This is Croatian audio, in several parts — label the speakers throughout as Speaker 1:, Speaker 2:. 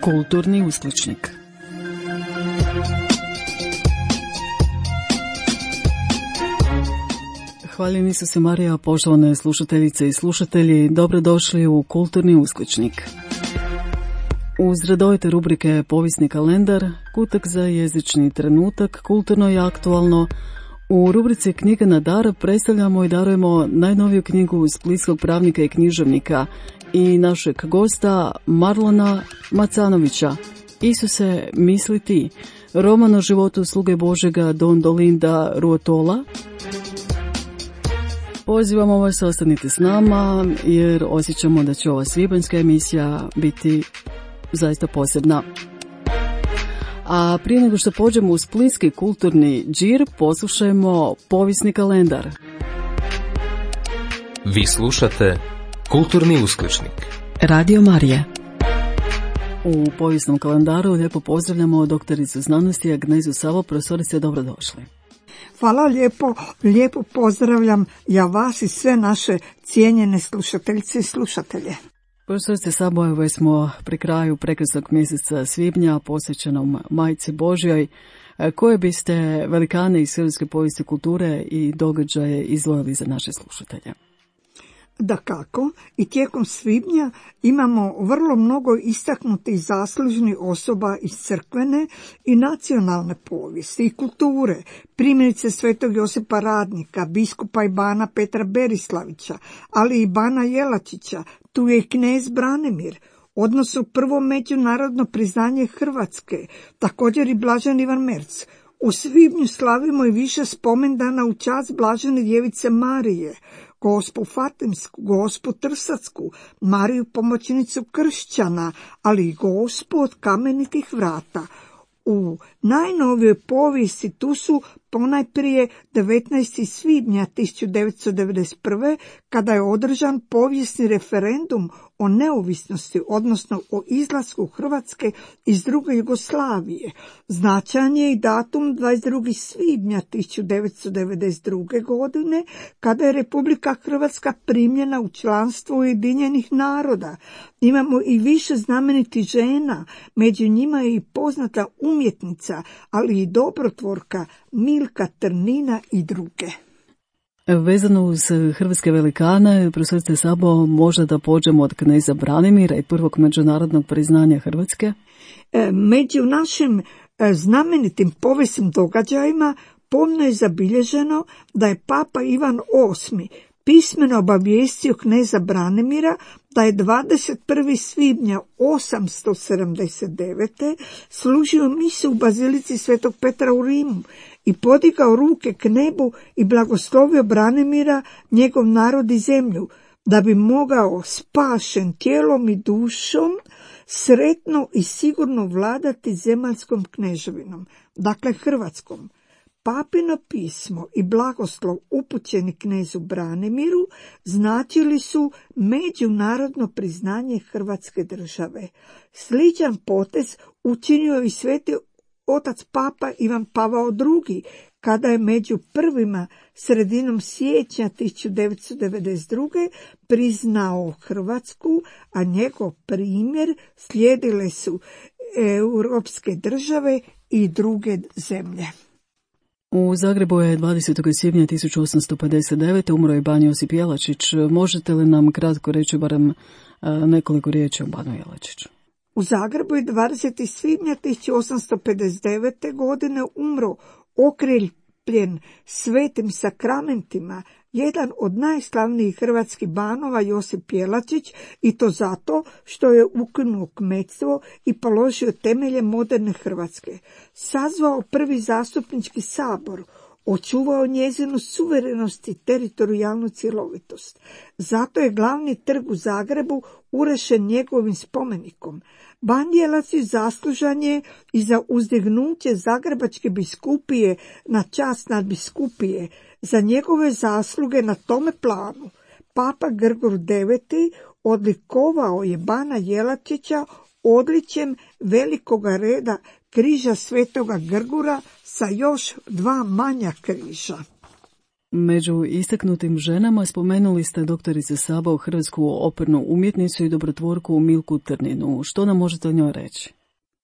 Speaker 1: Kulturni uskličnik. Hvaljeni su se Marija, poštovane slušateljice i slušatelji, dobrodošli u Kulturni uskličnik. Uz redovite rubrike Povijesni kalendar, kutak za jezični trenutak, kulturno i aktualno, u rubrici Knjiga na dar predstavljamo i darujemo najnoviju knjigu splitskog pravnika i književnika i našeg gosta Marlona Macanovića. Isuse, misli ti, roman o životu sluge Božega Don Dolinda Ruotola. Pozivamo vas, ostanite s nama jer osjećamo da će ova svibanjska emisija biti zaista posebna. A prije nego što pođemo u splitski kulturni džir, poslušajmo povijesni kalendar.
Speaker 2: Vi slušate Kulturni uskličnik. Radio Marija.
Speaker 1: U povijesnom kalendaru lijepo pozdravljamo doktoricu znanosti Agnezu Savo. Profesorice, dobrodošli.
Speaker 3: Hvala lijepo pozdravljam ja vas i sve naše cijenjene slušateljice i slušatelje.
Speaker 1: Profesorice Sabo, već smo pri kraju prekrasnog mjeseca svibnja posvećenom Majci Božjoj. Koje biste velikane iz hrvatske povijesti kulture i događaje izdvojili za naše slušatelje?
Speaker 3: Dakako, i tijekom svibnja imamo vrlo mnogo istaknutih zaslužnih osoba iz crkvene i nacionalne povijesti i kulture, primjerice svetog Josipa Radnika, biskupa i bana Petra Berislavića, ali i bana Jelačića, tu je i knez Branimir, odnosno prvo međunarodno priznanje Hrvatske, također i blaženi Ivan Merc. U svibnju slavimo i više spomendana u čast blažene djevice Marije, Gospu Fatimsku, Gospu Trsacku, Mariju pomoćnicu kršćana, ali i Gospu od kamenitih vrata. U najnovijoj povijesti tu su ponajprije 19. svibnja 1991. kada je održan povijesni referendum o neovisnosti, odnosno o izlasku Hrvatske iz druge Jugoslavije. Značajan je i datum 22. svibnja 1992. godine kada je Republika Hrvatska primljena u članstvo Ujedinjenih naroda. Imamo i više znamenitih žena, među njima je i poznata umjetnica, ali i dobrotvorka Milka Trnina i druge.
Speaker 1: Vezano uz hrvatske velikane, profesorice Sabo, možda da pođemo od kneza Branimira i prvog međunarodnog priznanja Hrvatske?
Speaker 3: Među našim znamenitim povijesnim događajima pomno je zabilježeno da je Papa Ivan VIII pismeno obavijestio kneza Branimira da je 21. svibnja 879. služio misu u bazilici Svetog Petra u Rimu i podigao ruke k nebu i blagoslovio Branimira, njegov narod i zemlju, da bi mogao spašen tijelom i dušom sretno i sigurno vladati zemaljskom kneževinom, dakle Hrvatskom. Papino pismo i blagoslov upućeni knezu Branimiru značili su međunarodno priznanje Hrvatske države. Sličan potez učinio i sveti otac Papa Ivan Pavao II, kada je među prvima sredinom siječnja 1992. priznao Hrvatsku, a njegov primjer slijedile su europske države i druge zemlje.
Speaker 1: U Zagrebu je 20. svibnja 1859. umro je ban Josip Jelačić. Možete li nam kratko reći barem nekoliko riječi o banu Jelačiću?
Speaker 3: U Zagrebu je 20. svibnja 1859. godine umro okreljen svetim sakramentima jedan od najslavnijih hrvatskih banova Josip Jelačić, i to zato što je ukinuo kmetstvo i položio temelje moderne Hrvatske. Sazvao prvi zastupnički sabor, očuvao njezinu suverenost i teritorijalnu cjelovitost. Zato je glavni trg u Zagrebu urešen njegovim spomenikom. Ban Jelačić zaslužan je i za uzdignuće Zagrebačke biskupije na čast nadbiskupije. Za njegove zasluge na tome planu Papa Grgur IX odlikovao je bana Jelačića odličjem velikoga reda križa svetoga Grgura sa još 2 manja križa.
Speaker 1: Među istaknutim ženama spomenuli ste doktorice Sabo, hrvatsku opernu umjetnicu i dobrotvorku Milku Trninu. Što nam možete o njoj reći?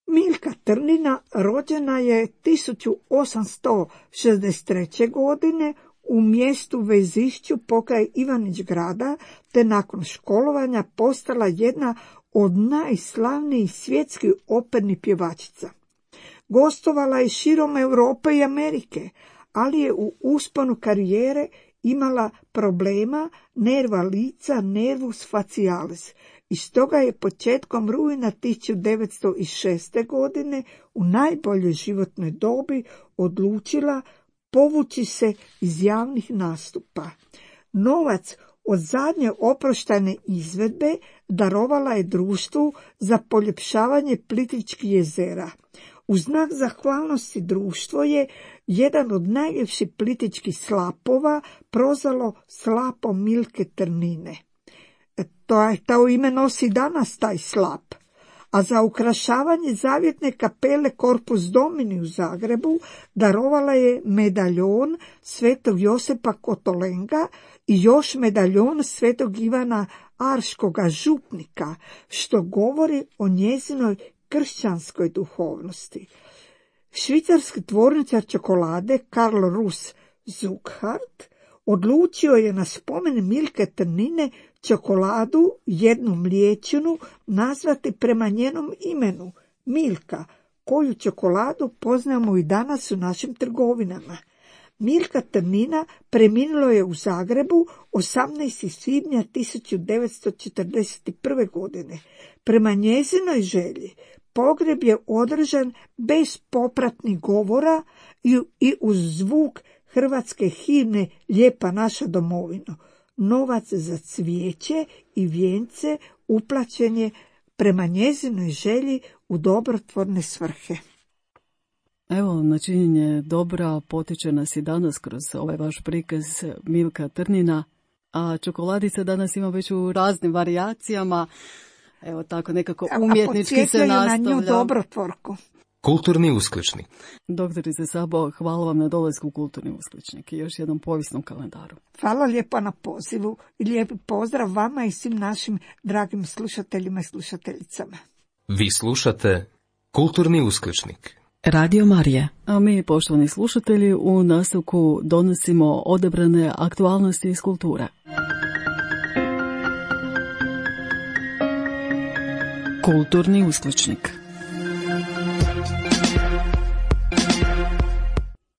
Speaker 3: Milka Trnina rođena je 1863. godine u mjestu Vezišću pokraj Ivanić Grada, te nakon školovanja postala jedna od najslavnijih svjetskih opernih pjevačica. Gostovala je širom Europe i Amerike, ali je u usponu karijere imala problema nerva lica, nervus facialis, i stoga je početkom rujna 1906. godine u najboljoj životnoj dobi odlučila povući se iz javnih nastupa. Novac od zadnje oproštajne izvedbe darovala je društvu za poljepšavanje Plitvičkih jezera. U znak zahvalnosti društvo je jedan od najljepših plitvičkih slapova prozvalo slapom Milke Trnine. To ime nosi danas taj slap. A za ukrašavanje zavjetne kapele Corpus Domini u Zagrebu darovala je medaljon svetog Josipa Kotolenga i još medaljon svetog Ivana Arškoga župnika, što govori o njezinoj kršćanskoj duhovnosti. Švicarski tvorničar čokolade Karl Rus Zuckhart odlučio je na spomen Milke Trnine čokoladu, jednu mliječinu, nazvati prema njenom imenu, Milka, koju čokoladu poznamo i danas u našim trgovinama. Milka Trnina preminula je u Zagrebu 18. svibnja 1941. godine. Prema njezinoj želji pogreb je održan bez popratnih govora i uz zvuk hrvatske himne Lijepa naša domovino. Novac za cvijeće i vijence uplaćen je prema njezinoj želji u dobrotvorne svrhe.
Speaker 1: Evo, na činjenje dobra potiče nas i danas kroz ovaj vaš prikaz Milka Trnina, a čokoladica danas ima već u raznim varijacijama. Evo tako nekako umjetnički se nastavlja.
Speaker 3: Na nju dobrotvorku.
Speaker 2: Kulturni uskličnik.
Speaker 1: Doktorice Sabo, hvala vam na dolasku u Kulturni uskličnik i još jednom povijesnom kalendaru.
Speaker 3: Hvala lijepo na pozivu i lijepi pozdrav vama i svim našim dragim slušateljima i slušateljicama.
Speaker 2: Vi slušate Kulturni uskličnik.
Speaker 1: Radio Marija. A mi, poštovani slušatelji, u nastavku donosimo odabrane aktualnosti iz kulture. Kulturni uskličnik.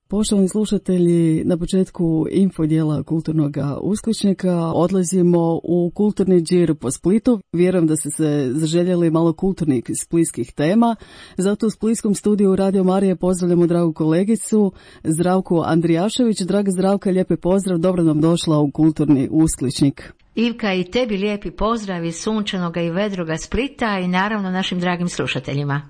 Speaker 1: Poštovani slušatelji, na početku info dijela Kulturnog uskličnika odlazimo u kulturni džir po Splitu. Vjerujem da ste se zaželjeli malo kulturnih splitskih tema. Zato u splitskom studiju Radio Marije pozdravljamo dragu kolegicu Zdravku Andrijašević. Draga Zdravka, lijepi pozdrav, dobro nam došla u Kulturni uskličnik.
Speaker 4: Ivka, i tebi lijepi pozdrav iz sunčanoga i vedroga Splita i naravno našim dragim slušateljima.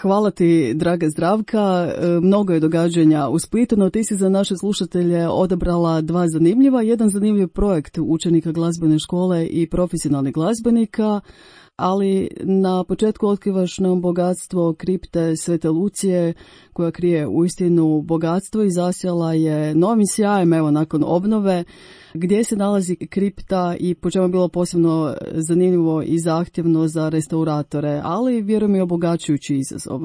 Speaker 1: Hvala ti, draga Zdravka. Mnogo je događanja u Splitu, no ti si za naše slušatelje odabrala dva zanimljiva. Jedan zanimljiv projekt učenika glazbene škole i profesionalnih glazbenika, ali na početku otkrivaš nam bogatstvo kripte Svete Lucije, koja krije uistinu bogatstvo i zasjala je novim sjajem, evo, nakon obnove. Gdje se nalazi kripta i po čemu je bilo posebno zanimljivo i zahtjevno za restauratore, ali vjerujem i obogaćujući izazov.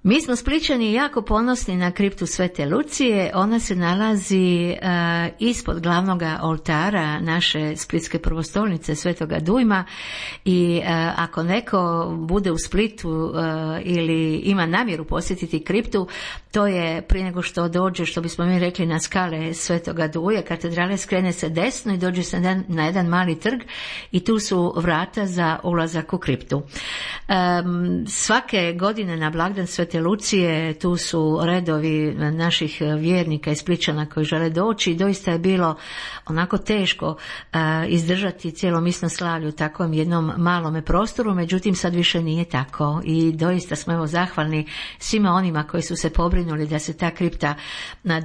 Speaker 4: Mi smo Splićani jako ponosni na kriptu Svete Lucije. Ona se nalazi ispod glavnog oltara naše splitske prvostolnice Svetoga Dujma i ako neko bude u Splitu ili ima namjeru posjetiti kriptu, to je prije nego što dođe, što bismo mi rekli, na skale Svetoga Duje, katedrale, skrene se desno i dođe se na jedan mali trg i tu su vrata za ulazak u kriptu. Svake godine na blagdan Svete Lucije tu su redovi naših vjernika i Splićana koji žele doći i doista je bilo onako teško izdržati cijelo misnoslavlje u takvom jednom malome prostoru, međutim sad više nije tako i doista smo evo zahvalni svima onima koji su se pobrinuli da se ta kripta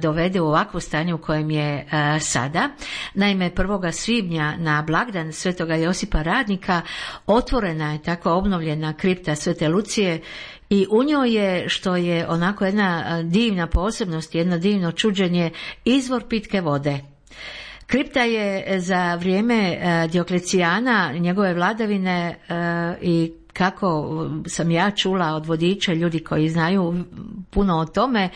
Speaker 4: dovede u ovakvo stanje u kojem je sada. Naime, 1. svibnja na blagdan Svetoga Josipa Radnika otvorena je tako obnovljena kripta Svete Lucije i u njoj je, što je onako jedna divna posebnost, jedno divno čuđenje, izvor pitke vode. Kripta je za vrijeme Dioklecijana, njegove vladavine i kako sam ja čula od vodiča, ljudi koji znaju puno o tome,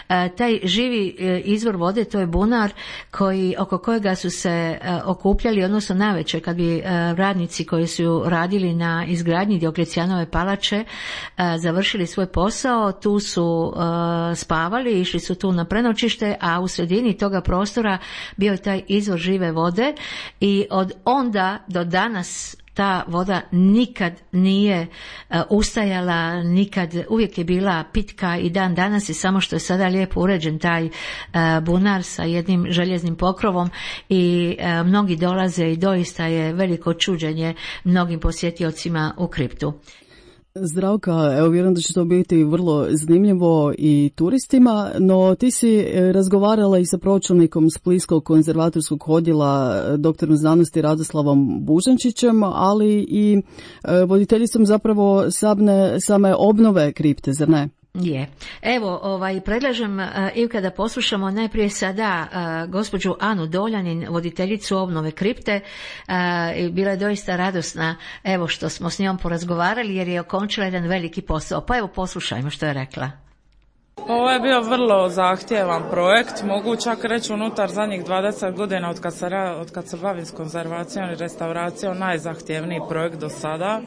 Speaker 4: taj živi izvor vode, to je bunar oko kojega su se okupljali, odnosno navečer kad bi radnici koji su radili na izgradnji Dioklecijanove palače završili svoj posao, tu su spavali, išli su tu na prenoćište, a u sredini toga prostora bio je taj izvor žive vode i od onda do danas ta voda nikad nije ustajala, uvijek je bila pitka i dan danas je, samo što je sada lijepo uređen taj bunar sa jednim željeznim pokrovom i mnogi dolaze i doista je veliko čuđenje mnogim posjetiocima u kriptu.
Speaker 1: Zdravka, evo vjerujem da će to biti vrlo zanimljivo i turistima, no ti si razgovarala i sa pročelnikom Splitskog konzervatorskog odjela doktorom znanosti Radoslavom Bužančićem, ali i voditeljicom zapravo same obnove kripte, zar ne?
Speaker 4: Je. Evo, predlažem Ivka da poslušamo najprije sada gospođu Anu Doljanin, voditeljicu obnove kripte. Bila je doista radosna, evo, što smo s njom porazgovarali jer je okončila jedan veliki posao. Pa evo, poslušajmo što je rekla.
Speaker 5: Ovo je bio vrlo zahtjevan projekt, mogu čak reći unutar zadnjih 20 godina od kad se bavim s konzervacijom i restauracijom, najzahtjevniji projekt do sada.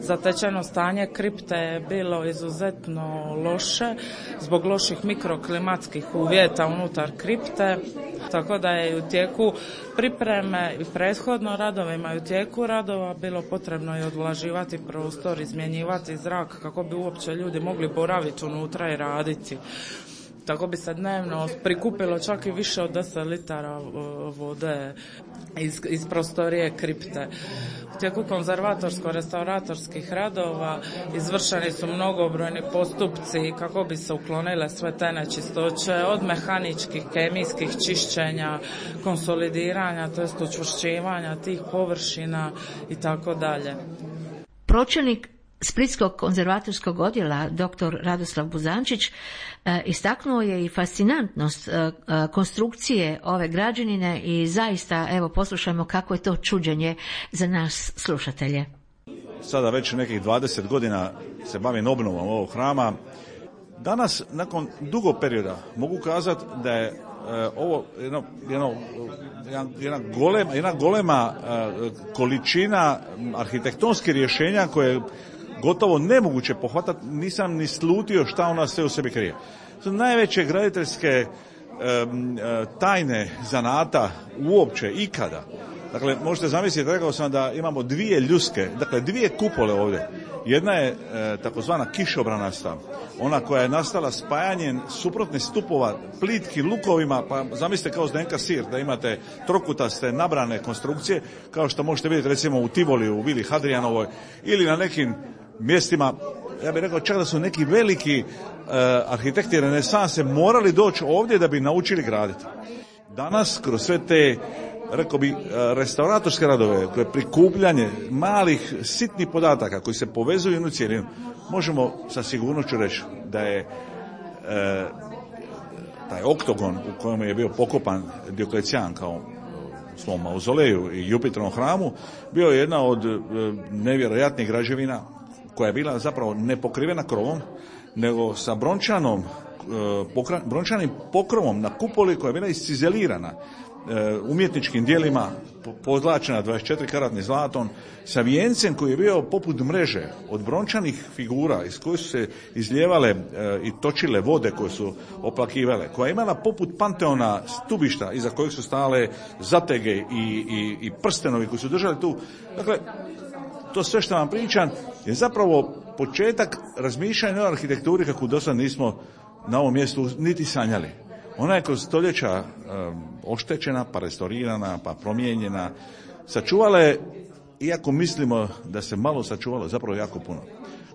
Speaker 5: Zatečeno stanje kripte je bilo izuzetno loše zbog loših mikroklimatskih uvjeta unutar kripte, tako da je u tijeku pripreme i prethodno radovima i u tijeku radova bilo potrebno i odvlaživati prostor, izmjenjivati zrak kako bi uopće ljudi mogli boraviti unutra i raditi. Tako bi se dnevno prikupilo čak i više od 10 litara vode iz prostorije kripte. U tijeku konzervatorsko-restauratorskih radova izvršeni su mnogobrojni postupci kako bi se uklonile sve te nečistoće, od mehaničkih, kemijskih čišćenja, konsolidiranja, to jest učvršćivanja tih površina i tako dalje.
Speaker 4: Pročelnik Splitskog konzervatorskog odjela dr. Radoslav Bužančić istaknuo je i fascinantnost konstrukcije ove građevine i zaista, evo, poslušajmo kako je to čuđenje za nas slušatelje.
Speaker 6: Sada već nekih 20 godina se bavim obnovom ovog hrama. Danas, nakon dugog perioda, mogu kazati da je ovo jedna golema količina arhitektonskih rješenja koje gotovo nemoguće pohvatati, nisam ni slutio šta ona sve u sebi krije. To najveće graditeljske tajne zanata uopće ikada. Dakle, možete zamisliti, rekao sam da imamo dvije ljuske, dakle dvije kupole ovdje. Jedna je takozvana kišobranasta, ona koja je nastala spajanjem suprotnih stupova plitkim lukovima, pa zamislite kao Zdenka Sir, da imate trokutaste nabrane konstrukcije, kao što možete vidjeti recimo u Tivoli, u Vili Hadrijanovoj, ili na nekim mjestima, ja bih rekao čak da su neki veliki arhitekti renesanse morali doći ovdje da bi naučili graditi. Danas, kroz sve te, rekao bi, restauratorske radove, koje prikupljanje malih sitnih podataka koji se povezuju u jednu cjelinu, možemo sa sigurnošću reći da je taj oktogon u kojem je bio pokopan Dioklecijan kao u svom mauzoleju i Jupiterovom hramu, bio je jedna od nevjerojatnih građevina koja je bila zapravo nepokrivena krovom, nego sa brončanim pokrovom na kupoli koja je bila iscizelirana umjetničkim dijelima, pozlačena 24 karatnim zlatom, sa vijencem koji je bio poput mreže od brončanih figura iz koje su se izlijevale i točile vode koje su oplakivale, koja je imala poput panteona stubišta iza kojeg su stale zatege i prstenovi koji su držali tu. Dakle, to sve što vam pričam je zapravo početak razmišljanja o arhitekturi kako do sad nismo na ovom mjestu niti sanjali. Ona je kroz stoljeća oštećena, pa restaurirana, pa promijenjena. Sačuvala je, iako mislimo da se malo sačuvalo, zapravo jako puno.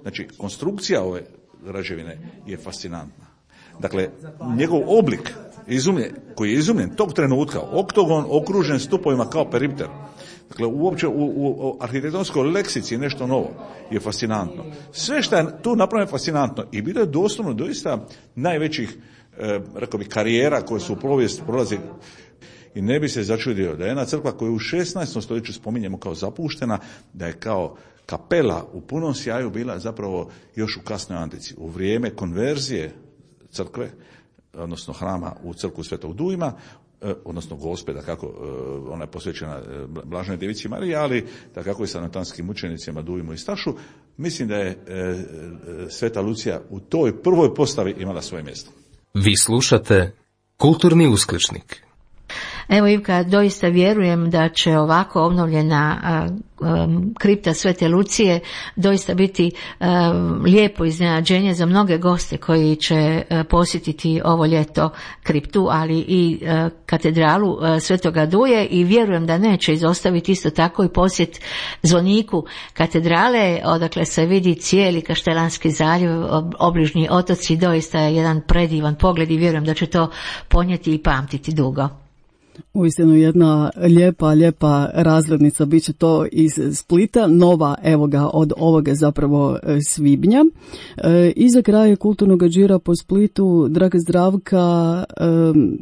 Speaker 6: Znači, konstrukcija ove građevine je fascinantna. Dakle, njegov oblik koji je izumljen tog trenutka, oktogon okružen stupovima kao peripter, dakle, uopće u arhitektonskoj leksici nešto novo je fascinantno. Sve što je tu napravljeno je fascinantno i bilo je doslovno doista najvećih, rekao bih, karijera koje su u povijesti prolazi. i ne bi se začudio da je jedna crkva koju u 16. stoljeću spominjemo kao zapuštena, da je kao kapela u punom sjaju bila zapravo još u kasnoj antici. U vrijeme konverzije crkve, odnosno hrama u crkvu Svetog Dujma, odnosno Gospe, da kako ona je posvećena Blaženoj Djevici Mariji, ali da kako i sa natanskim učenicima Dujmu i Stašu, mislim da je Sveta Lucija u toj prvoj postavi imala svoje mjesto.
Speaker 2: Vi slušate Kulturni uskličnik.
Speaker 4: Evo Ivka, doista vjerujem da će ovako obnovljena kripta Svete Lucije doista biti lijepo iznenađenje za mnoge goste koji će posjetiti ovo ljeto kriptu, ali i katedralu Svetoga Duje, i vjerujem da neće izostaviti isto tako i posjet zvoniku katedrale, odakle se vidi cijeli Kaštelanski zaljev, obližnji otoci. Doista je jedan predivan pogled i vjerujem da će to ponijeti i pamtiti dugo.
Speaker 1: Uistinu jedna lijepa razglednica, bit će to iz Splita, nova, evo ga, od ovoga zapravo svibnja. I za kraj kulturnog džira po Splitu, draga Zdravka,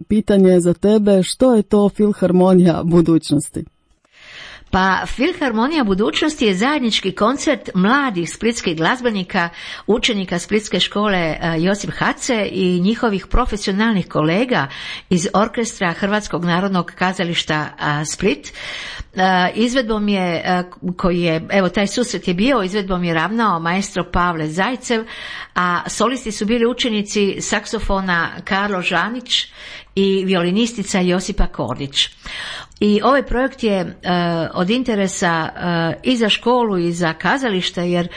Speaker 1: pitanje za tebe, što je to Filharmonija budućnosti?
Speaker 4: Pa Filharmonija budućnosti je zajednički koncert mladih splitskih glazbenika, učenika Splitske škole Josip Hace i njihovih profesionalnih kolega iz orkestra Hrvatskog narodnog kazališta Split. Izvedbom je, koji je, evo taj susret je bio, izvedbom je ravnao maestro Pavle Zajcev, a solisti su bili učenici saksofona Karlo Žanić i violinistica Josipa Kordić. I ovaj projekt je od interesa i za školu i za kazalište, jer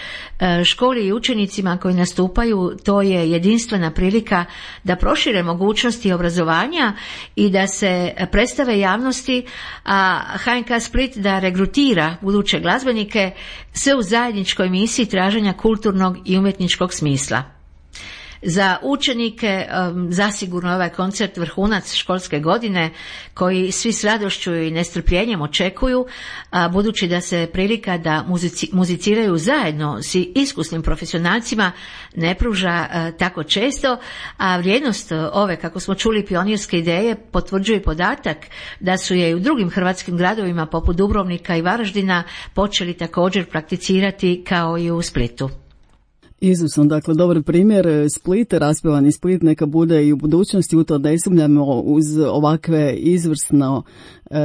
Speaker 4: školi i učenicima koji nastupaju to je jedinstvena prilika da prošire mogućnosti obrazovanja i da se predstave javnosti, a HNK Split da regrutira buduće glazbenike, sve u zajedničkoj misiji traženja kulturnog i umjetničkog smisla. Za učenike zasigurno ovaj koncert vrhunac školske godine koji svi s radošću i nestrpljenjem očekuju, budući da se prilika da muziciraju zajedno s iskusnim profesionalcima ne pruža tako često, a vrijednost ove, kako smo čuli, pionirske ideje potvrđuje podatak da su je i u drugim hrvatskim gradovima poput Dubrovnika i Varaždina počeli također prakticirati kao i u Splitu.
Speaker 1: Izuzetno, dakle, dobar primjer. Split, raspjevani Split, neka bude i u budućnosti, u to ne sumnjamo, uz ovakve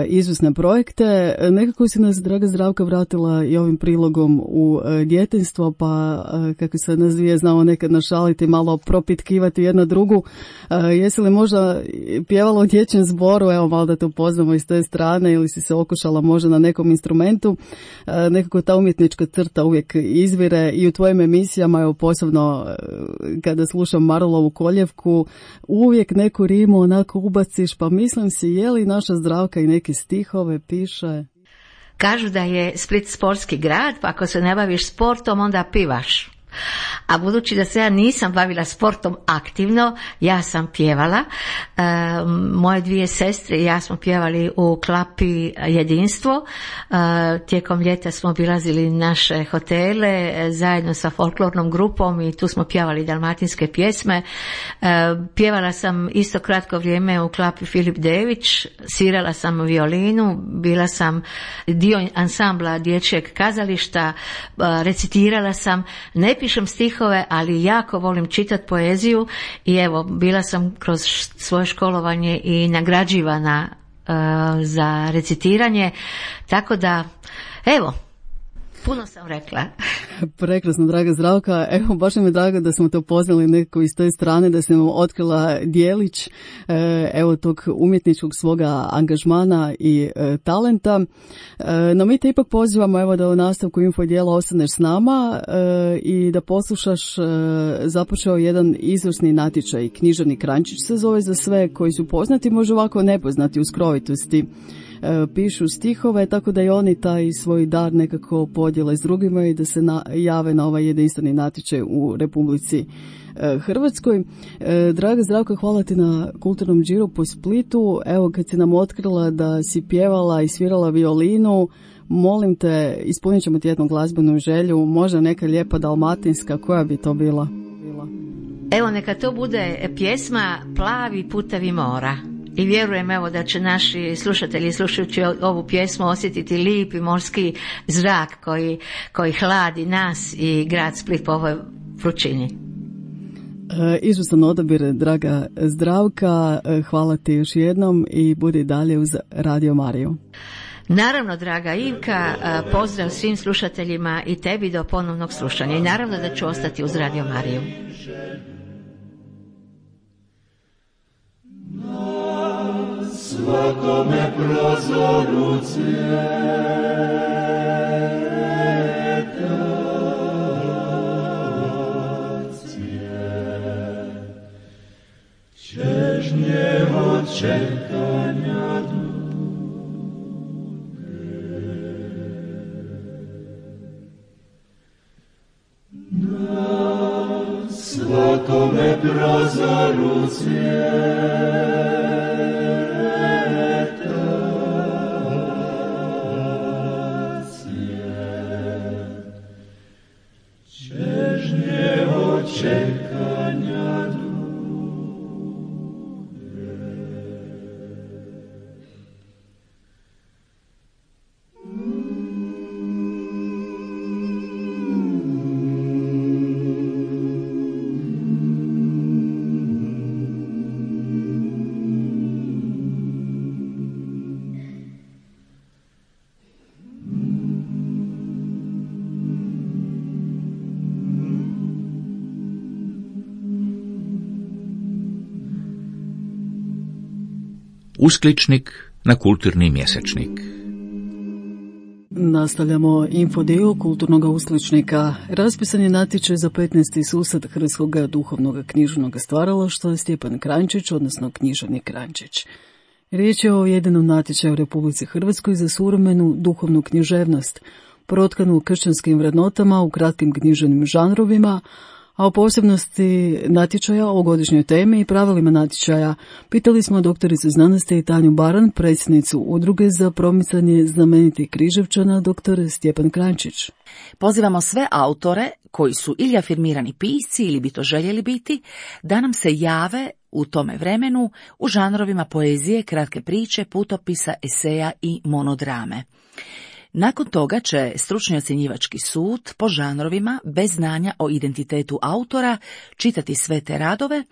Speaker 1: izvrsne projekte. Nekako si nas, draga Zdravka, vratila i ovim prilogom u djetinjstvo, pa kako se nas dvije znamo nekad našaliti, malo propitkivati jedna drugu. Jesi li možda pjevala u dječjem zboru, evo malo da te upoznamo iz te strane, ili si se okušala možda na nekom instrumentu? Nekako ta umjetnička crta uvijek izvire i u tvojim emisijama, evo posebno kada slušam Marulovu Koljevku, uvijek neku rimu onako ubaciš, pa mislim si, je li naša Zdravka i neke stihove piše?
Speaker 4: Kažu da je Split sportski grad, pa ako se ne baviš sportom, onda pivaš. A budući da se ja nisam bavila sportom aktivno, ja sam pjevala. Moje dvije sestre i ja smo pjevali u klapi Jedinstvo. Tijekom ljeta smo obilazili naše hotele zajedno sa folklornom grupom i tu smo pjevali dalmatinske pjesme. Pjevala sam isto kratko vrijeme u klapi Filip Dević, svirala sam violinu, bila sam dio ansambla dječjeg kazališta, recitirala sam, ne pišem stihove, ali jako volim čitati poeziju i evo, bila sam kroz svoje školovanje i nagrađivana za recitiranje, tako da, evo, puno sam rekla.
Speaker 1: Prekrasno, draga Zdravka. Evo, baš mi je drago da smo te upoznali nekako iz te strane, da sam otkrila dijelić evo tog umjetničkog svoga angažmana i talenta. No mi te ipak pozivamo evo da u nastavku info dijela ostaneš s nama i da poslušaš, započeo jedan izvrsni natječaj, Književni krančić se zove, za sve koji su poznati, možda ovako nepoznati u skrovitosti. Pišu stihove, tako da i oni taj svoj dar nekako podijele s drugima i da se jave na ovaj jedinstveni natječaj u Republici Hrvatskoj. Draga Zdravka, hvala ti na kulturnom džiru po Splitu. Evo, kad si nam otkrila da si pjevala i svirala violinu, molim te, ispunit ćemo ti jednu glazbenu želju, možda neka lijepa dalmatinska, koja bi to bila?
Speaker 4: Evo, neka to bude pjesma Plavi putevi mora. I vjerujem evo da će naši slušatelji slušajući ovu pjesmu osjetiti lijepi morski zrak koji hladi nas i grad Split po ovoj vrućini.
Speaker 1: Izvrstan odabir, draga Zdravka, hvala ti još jednom i budi dalje uz Radio Mariju.
Speaker 4: Naravno, draga Ivka, pozdrav svim slušateljima i tebi do ponovnog slušanja i naravno da ću ostati uz Radio Mariju.
Speaker 7: Na svakome prozoru čežnje od čekanja duge. Na svakome prozoru čežnje od čekanja duge.
Speaker 8: Uskličnik na kulturni mjesečnik.
Speaker 1: Nastavljamo infodio kulturnog uskličnika. Raspisan je natječaj za 15. susret Hrvatskog duhovnog književnog stvaralaštva Stjepan Kranjčić, odnosno književnik Kranjčić. Riječ je o jedinom natječaju u Republici Hrvatskoj za suvremenu duhovnu književnost, protkanu kršćanskim vrednotama u kratkim književnim žanrovima, a o posebnosti natječaja, o godišnjoj temi i pravilima natječaja pitali smo doktoricu znanosti Tanju Baran, predsjednicu Udruge za promicanje znamenitih Križevčana, dr. Stjepan Kranjčić.
Speaker 9: Pozivamo sve autore koji su ili afirmirani pisci ili bi to željeli biti, da nam se jave u tome vremenu u žanrovima poezije, kratke priče, putopisa, eseja i monodrame. Nakon toga će stručni ocjenjivački sud po žanrovima bez znanja o identitetu autora čitati sve te radove,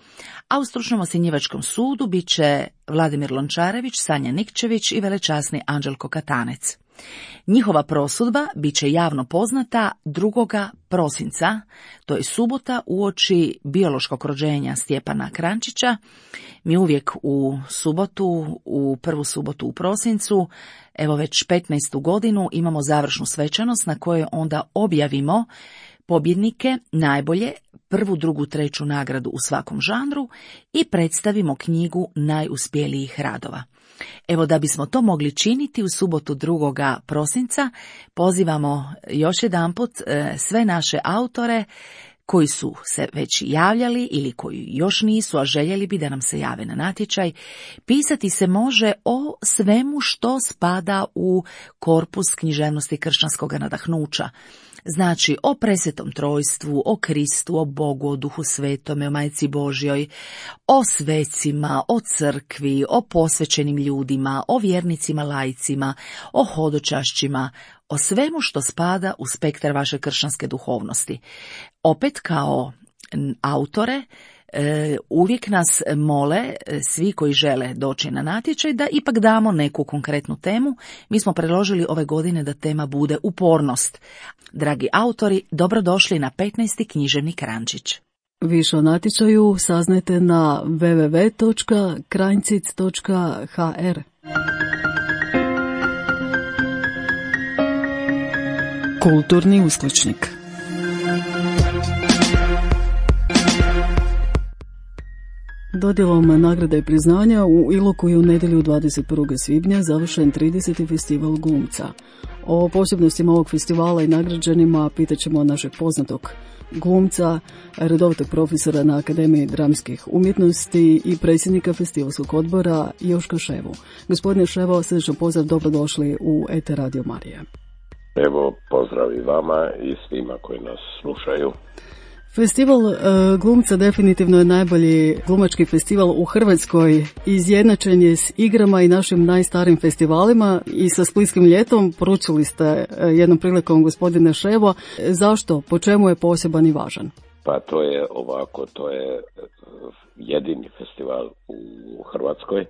Speaker 9: a u stručnom ocjenjivačkom sudu bit će Vladimir Lončarević, Sanja Nikčević i velečasni Anđelko Katanec. Njihova prosudba bit će javno poznata 2. prosinca, to je subota uoči biološkog rođenja Stjepana Kranjčića. Mi uvijek u subotu, u prvu subotu u prosincu, evo već 15. godinu, imamo završnu svečanost na kojoj onda objavimo pobjednike, najbolje, 1., 2., 3. nagradu u svakom žanru i predstavimo knjigu najuspjelijih radova. Evo, da bismo to mogli činiti u subotu 2. prosinca, pozivamo još jedanput sve naše autore koji su se već javljali ili koji još nisu, a željeli bi da nam se jave na natječaj. Pisati se može o svemu što spada u korpus književnosti kršćanskog nadahnuća. Znači o presvetom trojstvu, o Kristu, o Bogu, o Duhu Svetome, o Majci Božjoj, o svecima, o crkvi, o posvećenim ljudima, o vjernicima laicima, o hodočašćima, o svemu što spada u spektar vaše kršćanske duhovnosti. Opet kao autore uvijek nas mole svi koji žele doći na natječaj da ipak damo neku konkretnu temu. Mi smo predložili ove godine da tema bude upornost. Dragi autori, dobrodošli na 15. književnik Kranjčić.
Speaker 1: Više o natječaju saznajte na www.kranjcic.hr. Kulturni uskličnik. Dodjelom nagrada i priznanja u Iloku je u nedjelju 21. svibnja završen 30. festival glumca. O posebnostima ovog festivala i nagrađenima pitat ćemo našeg poznatog glumca, redovitog profesora na Akademiji dramskih umjetnosti i predsjednika festivalskog odbora Joška Ševu. Gospodine Ševo, srdečno pozdrav, dobrodošli u ETR Radio Marija.
Speaker 10: Evo, pozdrav i vama i svima koji nas slušaju.
Speaker 1: Festival glumca definitivno je najbolji glumački festival u Hrvatskoj. Izjednačen je s igrama i našim najstarijim festivalima i sa Splitskim ljetom. Poručili ste jednom prilikom, gospodine Ševo. Zašto? Po čemu je poseban i važan?
Speaker 10: Pa to je ovako, to je jedini festival u Hrvatskoj,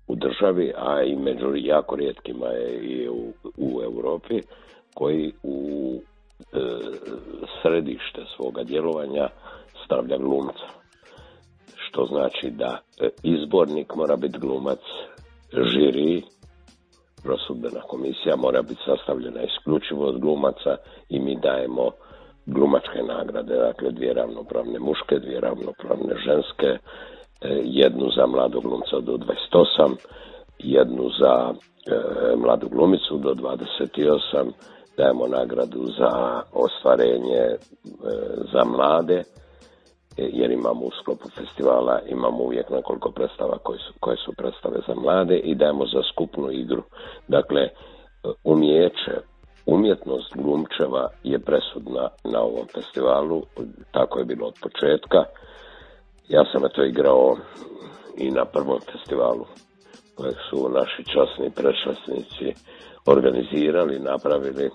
Speaker 10: u državi, a i među jako rijetkima je i u Europi, koji u središte svoga djelovanja stavlja glumca. Što znači da izbornik mora biti glumac, žiri, prosudbena komisija mora biti sastavljena isključivo od glumaca i mi dajemo glumačke nagrade, dakle 2 ravnopravne muške, 2 ravnopravne ženske, jednu za mladog glumca do 28, jednu za mladu glumicu do 28, dajemo nagradu za ostvarenje za mlade, jer imamo u sklopu festivala, imamo uvijek nekoliko predstava koje su predstave za mlade i dajemo za skupnu igru. Dakle, umjetnost glumčeva je presudna na ovom festivalu, tako je bilo od početka. Ja sam to igrao i na prvom festivalu kojeg su naši časni predšasnici organizirali, napravili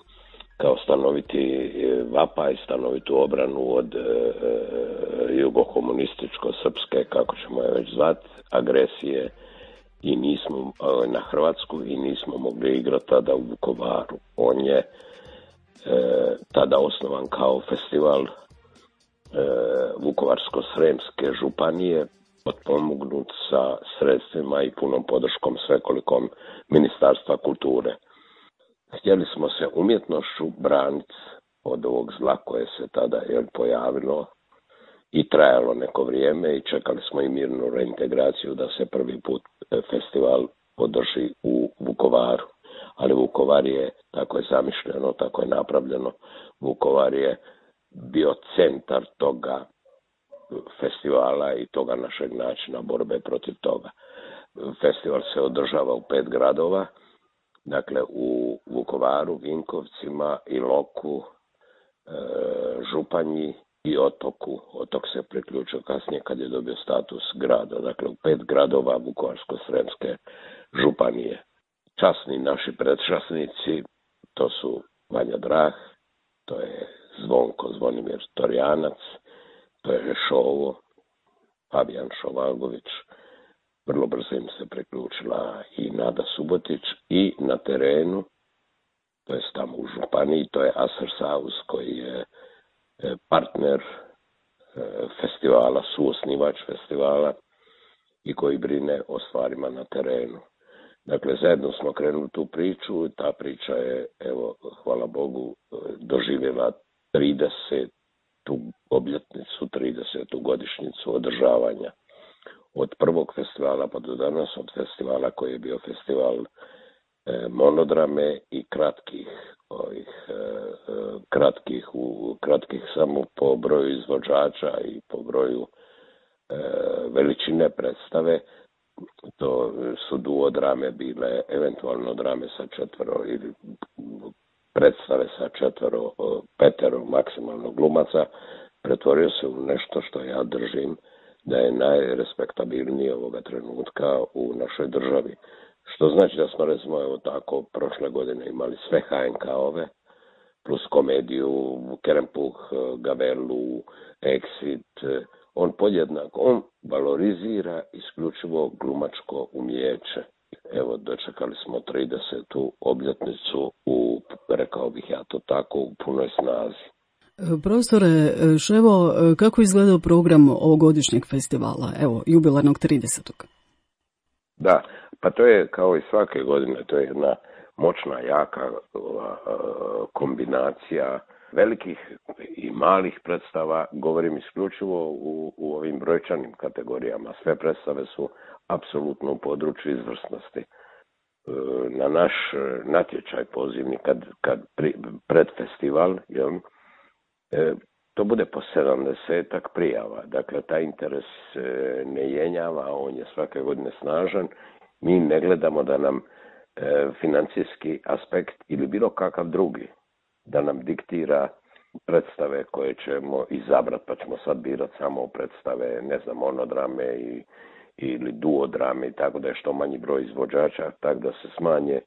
Speaker 10: kao stanoviti vapaj, stanovitu obranu od jugokomunističko-srpske, kako ćemo je već zvati, agresije i nismo na Hrvatsku i nismo mogli igrati tada u Vukovaru. On je tada osnovan kao festival Vukovarsko-sremske županije, potpomognut sa sredstvima i punom podrškom svekolikom Ministarstva kulture. Htjeli smo se umjetnošću braniti od ovog zla koje se tada pojavilo i trajalo neko vrijeme i čekali smo i mirnu reintegraciju da se prvi put festival održi u Vukovaru. Ali Vukovar je, tako je zamišljeno, tako je napravljeno, Vukovar je bio centar toga festivala i toga našeg načina borbe protiv toga. Festival se održava u 5 gradova, dakle u Vukovaru, Vinkovcima, Iloku, Županji i Otoku. Otok se priključio kasnije kad je dobio status grada. Dakle, u 5 gradova Vukovarsko-sremske županije. Časni naši predšasnici, to su Vanja Drah, to je Zvonimir Torjanac, to je Šovo, Fabijan Šovalgović. Vrlo brzo im se priključila i Nada Subotić i na terenu, to je tamo u županiji, to je Aser Saus koji je partner festivala, suosnivač festivala i koji brine o stvarima na terenu. Dakle, zajedno smo krenuli tu priču i ta priča je, evo, hvala Bogu, doživjela 30. obljetnicu, 30. godišnjicu održavanja. Od prvog festivala pa do danas, od festivala koji je bio festival monodrame i kratkih samo po broju izvođača i po broju veličine predstave. To su duodrame bile, eventualno drame sa 4 ili predstave sa 4, 5 maksimalno glumaca. Pretvorio se u nešto što ja držim da je najrespektabilnije ovoga trenutka u našoj državi. Što znači da smo, recimo, evo tako, prošle godine imali sve HNK-ove, plus komediju, Kerempuh, Gavelu, Exit. On valorizira isključivo glumačko umijeće. Evo, dočekali smo 30. obljetnicu rekao bih ja to tako, u punoj snazi.
Speaker 1: Profesore Ševo, kako izgledao program ovogodišnjeg festivala, evo, jubilarnog 30.
Speaker 10: Da, pa to je kao i svake godine, to je jedna moćna, jaka kombinacija velikih i malih predstava. Govorim isključivo u ovim brojčanim kategorijama. Sve predstave su apsolutno u području izvrsnosti. Na naš natječaj pozivni kad pred festival, to bude po 70 prijava. Dakle, taj interes ne jenjava, on je svake godine snažan. Mi ne gledamo da nam financijski aspekt ili bilo kakav drugi da nam diktira predstave koje ćemo izabrati, pa ćemo sad birati samo predstave, ne znam, monodrame ili duodrame i tako da je što manji broj izvođača, tako da se smanje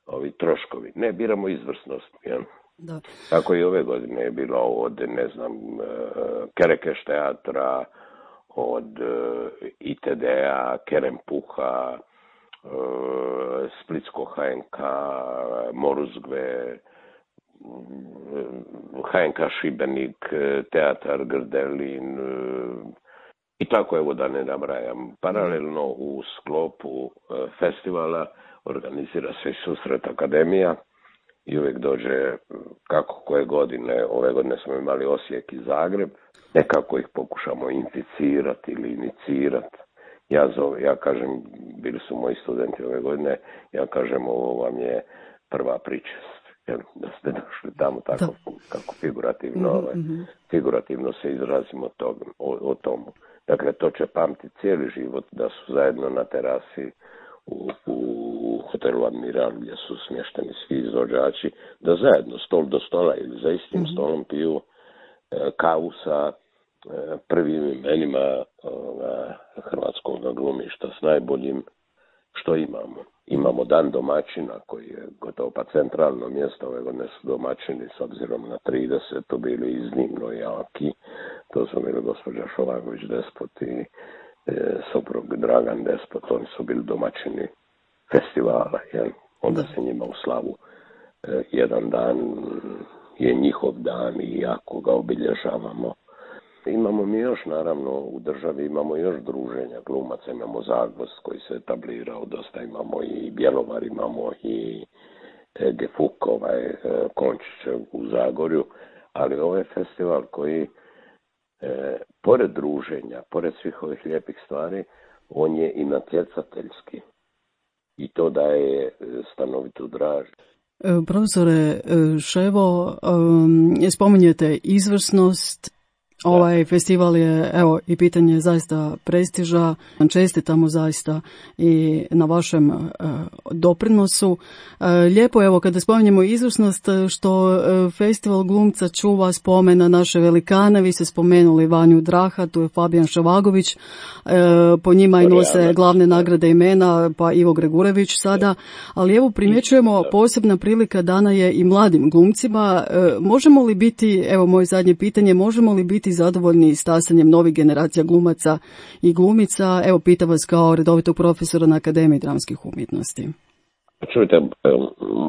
Speaker 10: ovi troškovi. Ne, biramo izvrsnost. Ja.
Speaker 1: Da.
Speaker 10: Tako i ove godine je bilo od, ne znam, Kerekeš teatra, od ITD-a, Kerempuha, Splitsko HNK, Moruzgve, HNK Šibenik, Teatar Grdelin i tako, evo da ne nabrajam. Paralelno u sklopu festivala organizira se susret akademija i uvijek dođe kako koje godine. Ove godine smo imali Osijek i Zagreb. Nekako ih pokušamo inficirati ili inicirati. Ja kažem, bili su moji studenti ove godine, ja kažem, ovo vam je prva pričest. Da ste došli tamo tako kako figurativno se izrazimo o tomu. Dakle, to će pamtiti cijeli život da su zajedno na terasi u hotelu Admiral gdje su smješteni svi izvođači, da zajedno stol do stola ili za istim stolom piju kavu sa prvim imenima hrvatskog glumišta s najboljim što imamo. Imamo dan domaćina koji je gotovo pa centralno mjesto. Ove godine su domaćini s obzirom na 30 bili iznimno jaki. To su bili gospođa Šovagović Despot i soprug Dragan Despot. Oni su bili domaćini festivala. Jel? Onda se njima u slavu jedan dan je njihov dan i jako ga obilježavamo. Imamo mi još, naravno, u državi imamo još druženja glumaca, imamo Zagvozd koji se etablirao, dosta imamo i Bjelovar, imamo i Gefuk, Končić u Zagorju, ali ovo je festival koji, pored druženja, pored svih ovih lijepih stvari, on je i natjecateljski i to daje stanovitu draž.
Speaker 1: Profesore Ševo, spominjete izvrsnost. Ovaj festival je, evo, i pitanje zaista prestiža. Čestitamo zaista i na vašem doprinosu. Lijepo je, evo, kada spominjemo izvrsnost, što festival glumca čuva spomen na naše velikane. Vi ste spomenuli Vanju Draha, tu je Fabijan Ševagović, po njima i nose glavne nagrade imena, pa Ivo Gregurević sada. Ali evo, primjećujemo, posebna prilika dana je i mladim glumcima. Možemo li biti, evo moje zadnje pitanje, možemo li biti zadovoljni stasanjem novih generacija glumaca i glumica? Evo, pitam vas kao redovitog profesora na Akademiji dramskih umjetnosti.
Speaker 10: Čujte,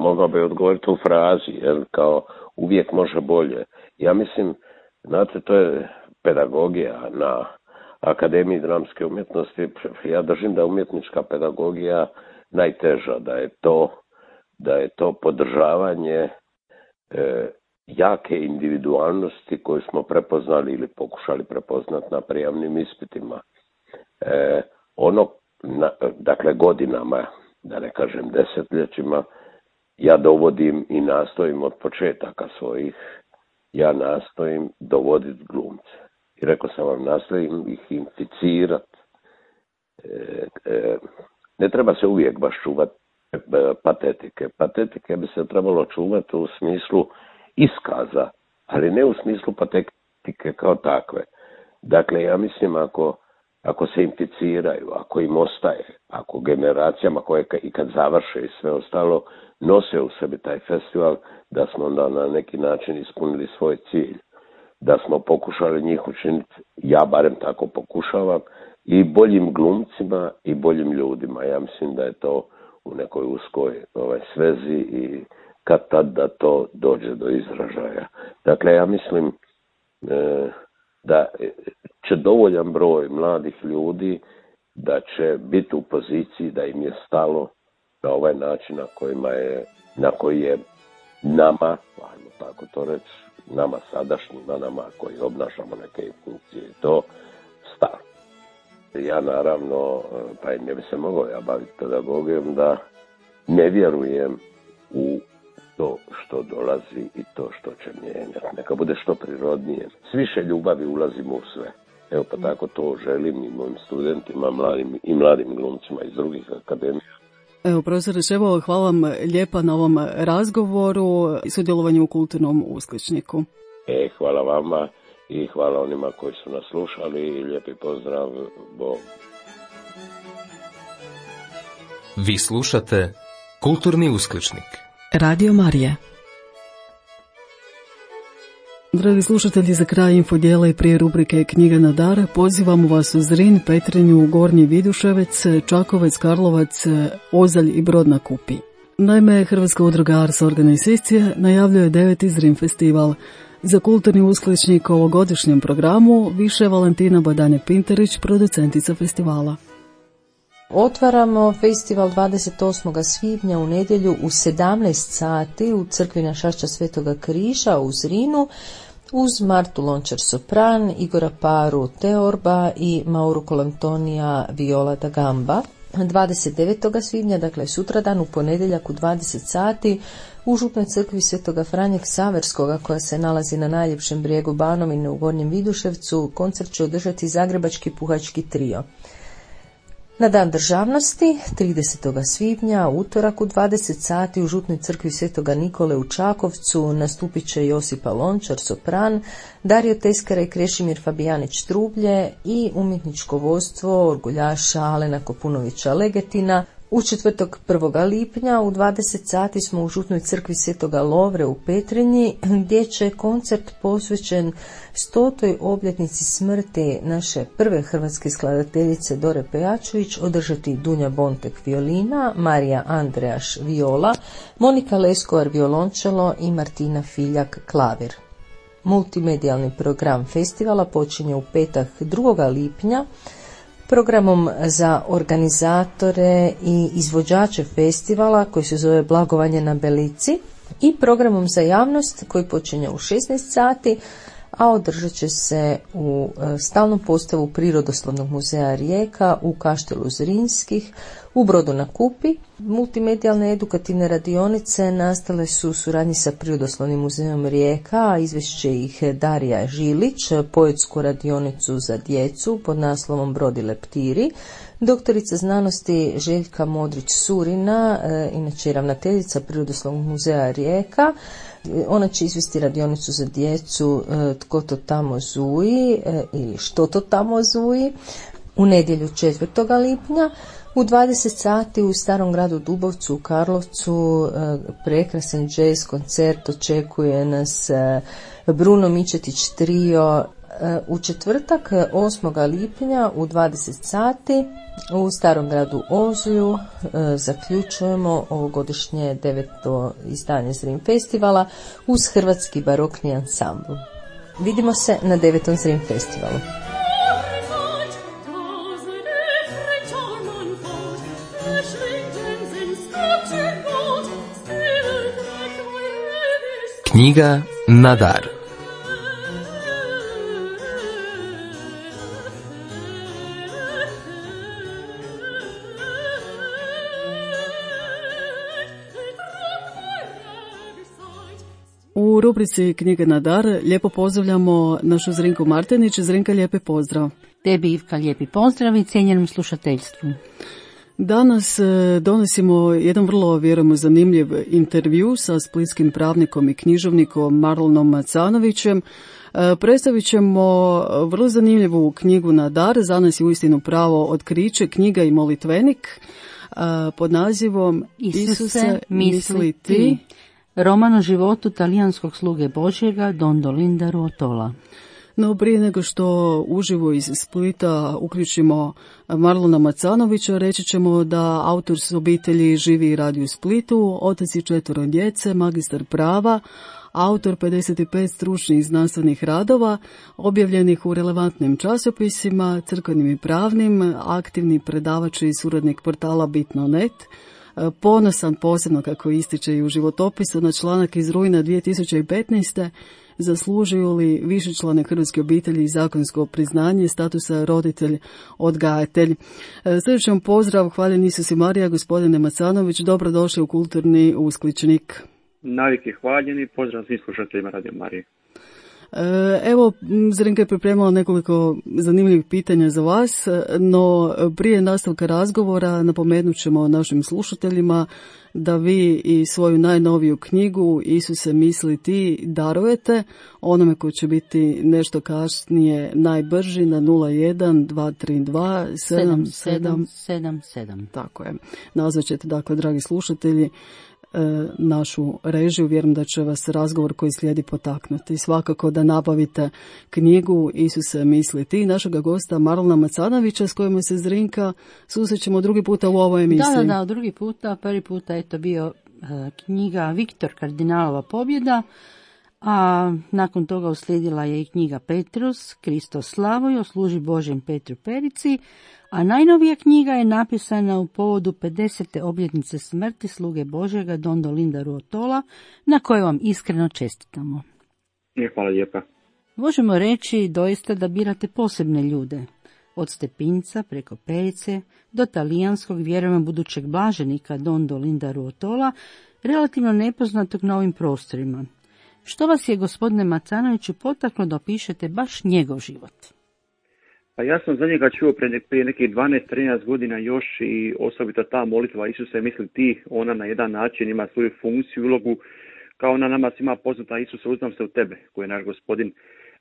Speaker 10: mogao bi odgovoriti u frazi, jer kao uvijek može bolje. Ja mislim, znate, to je pedagogija na Akademiji dramske umjetnosti. Ja držim da je umjetnička pedagogija najteža, da je to podržavanje jake individualnosti koju smo prepoznali ili pokušali prepoznati na prijamnim ispitima. Dakle, godinama, da ne kažem desetljećima, ja dovodim i nastojim od početaka svojih, ja nastojim dovoditi glumce. I rekao sam vam, nastojim ih inficirati. Ne treba se uvijek baš čuvati patetike. Patetike bi se trebalo čuvati u smislu iskaza, ali ne u smislu patetike kao takve. Dakle, ja mislim ako se inficiraju, ako im ostaje, ako generacijama koje i kad završe i sve ostalo nose u sebi taj festival, da smo onda na neki način ispunili svoj cilj. Da smo pokušali njih učiniti, ja barem tako pokušavam, i boljim glumcima i boljim ljudima. Ja mislim da je to u nekoj uskoj svezi i kad tad da to dođe do izražaja. Dakle, ja mislim da će dovoljan broj mladih ljudi da će biti u poziciji da im je stalo na ovaj način na koji je nama, ajmo tako to reći, nama sadašnjima, nama koji obnašamo neke funkcije, to stalo. Ja naravno, pa i ne bi se mogao ja baviti pedagogijom, da ne vjerujem u to što dolazi i to što će mijenjati. Neka bude što prirodnije. S više ljubavi ulazimo u sve. Evo, pa tako to želim i mojim studentima, mladim glumcima iz drugih akademija.
Speaker 1: Evo, profesore Ševo, hvala vam lijepa na ovom razgovoru i sudjelovanju u Kulturnom uskličniku.
Speaker 10: Hvala vama i hvala onima koji su nas slušali i lijepi pozdrav. Bog.
Speaker 2: Vi slušate Kulturni uskličnik.
Speaker 1: Radio Marija. Dragi slušatelji, za kraj infodijela i prije rubrike Knjiga na dar pozivamo vas u Zrin, Petrinju, Gornji Viduševec, Čakovec, Karlovac, Ozalj i Brod na Kupi. Naime, Hrvatska udruga Ars Organizacije najavljuje 9. Zrin festival. Za Kulturni uskličnik u ovogodišnjem programu više Valentina Badanje-Pinterić, producentica festivala.
Speaker 11: Otvaramo festival 28. svibnja u nedjelju u 17 sati u crkvi Našašća Svetoga Križa u Zrinu uz Martu Lončar-Sopran, Igora Paru Teorba i Mauru Colantonija Viola da Gamba. 29. svibnja, dakle sutradan u ponedjeljak u 20 sati u Župnoj crkvi Svetoga Franje Ksaverskoga koja se nalazi na najljepšem brijegu Banovine u Gornjem Viduševcu, koncert će održati Zagrebački puhački trio. Na dan državnosti, 30. svibnja, utorak u 20 sati u Župnoj crkvi Svetoga Nikole u Čakovcu nastupit će Josipa Lončar, sopran, Dario Teskara i Krešimir Fabijanić Trublje i umjetničko vodstvo orguljaša Alena Kopunovića Legetina. U četvrtak 1. lipnja u 20 sati smo u Župnoj crkvi Svetoga Lovre u Petrinji gdje će koncert posvećen 100. obljetnici smrti naše prve hrvatske skladateljice Dore Pejačević održati Dunja Bontek violina, Marija Andrejaš viola, Monika Leskovar violončelo i Martina Filjak klavir. Multimedijalni program festivala počinje u petak 2. lipnja programom za organizatore i izvođače festivala koji se zove Blagovanje na Belici i programom za javnost koji počinje u 16 sati, a održat će se u stalnom postavu Prirodoslovnog muzeja Rijeka u Kaštelu Zrinskih u Brodu na Kupi. Multimedijalne edukativne radionice nastale su u suradnji sa Prirodoslovnim muzejom Rijeka, a izvešće ih Darija Žilić, poetsku radionicu za djecu pod naslovom Brodi leptiri, doktorica znanosti Željka Modrić-Surina, inače ravnateljica Prirodoslovnog muzeja Rijeka. Ona će izvesti radionicu za djecu Tko to tamo zuji ili Što to tamo zuji u nedjelju 4. lipnja. U 20 sati u Starom gradu Dubovcu u Karlovcu prekrasan jazz koncert očekuje nas Bruno Mičetić trio. U četvrtak 8. lipnja u 20 sati u Starom gradu Ozlju zaključujemo ovogodišnje 9. izdanje Zrin festivala uz Hrvatski barokni ansambl. Vidimo se na 9. Zrin festivalu.
Speaker 2: Knjiga na dar.
Speaker 1: U rubrici Knjiga na dar lijepo pozdravljamo našu Zrinku Martinić. Zrinka, lijepi pozdrav.
Speaker 12: Tebi, Ivka, lijepi pozdrav i cijenjenom slušateljstvu.
Speaker 1: Danas donosimo jedan vrlo, vjerujemo, zanimljiv intervju sa splitskim pravnikom i književnikom Marlonom Macanovićem. Predstavit ćemo vrlo zanimljivu knjigu na dar. Za nas je uistinu pravo otkriće, knjiga i molitvenik pod nazivom Isuse, misli ti.
Speaker 12: Roman o životu talijanskog sluge Božjega Dondolinda Ruotola.
Speaker 1: No prije nego što uživo iz Splita uključimo Marlona Macanovića, reći ćemo da autor s obitelji živi i radi u Splitu, otac i 4 djece, magistar prava, autor 55 stručnih znanstvenih radova, objavljenih u relevantnim časopisima, crkvenim i pravnim, aktivni predavač i suradnik portala Bitno.net, ponosan posebno, kako ističe i u životopisu, na članak iz rujna 2015. zaslužuju li višečlane hrvatske obitelji zakonsko priznanje statusa roditelj-odgajatelj. Srdačan pozdrav, hvaljen Isus i Marija, gospodine Macanović, dobrodošli u Kulturni uskličnik.
Speaker 13: Navike hvaljeni, pozdrav svim slušateljima Radio Marije.
Speaker 1: Evo, Zrinka je pripremila nekoliko zanimljivih pitanja za vas, no prije nastavka razgovora napomenut ćemo našim slušateljima da vi i svoju najnoviju knjigu Isuse misli ti darujete onome ko će biti nešto kasnije najbrži na 01 232 7777. Tako je. Nazvat ćete, dakle, dragi slušatelji, našu režiju. Vjerujem da će vas razgovor koji slijedi potaknuti. Svakako da nabavite knjigu Isuse misli ti našega gosta Marlona Macanovića, s kojima se Zrinka susrećemo drugi puta u ovoj emisiji.
Speaker 12: Da, drugi puta. Prvi puta je to bio knjiga Viktor Kardinalova pobjeda, a nakon toga uslijedila je i knjiga Petrus, Kristo Slavoj, služi Božjem Petru Perici, a najnovija knjiga je napisana u povodu 50. obljetnice smrti sluge Božjega Don Dolinda Ruotola, na kojoj vam iskreno čestitamo.
Speaker 13: Hvala lijepa.
Speaker 12: Možemo reći doista da birate posebne ljude, od Stepinca preko Perice do talijanskog vjerujemo budućeg blaženika Don Dolinda Ruotola, relativno nepoznatog na ovim prostorima. Što vas je, gospodine Macanoviću, potaklo da opišete baš njegov život?
Speaker 13: Pa ja sam za njega čuo prije nekih 12-13 godina još i osobito ta molitva Isuse misli ti, ona na jedan način ima svoju funkciju, ulogu, kao ona nama svima poznata Isuse uznam se u tebe, koji je naš gospodin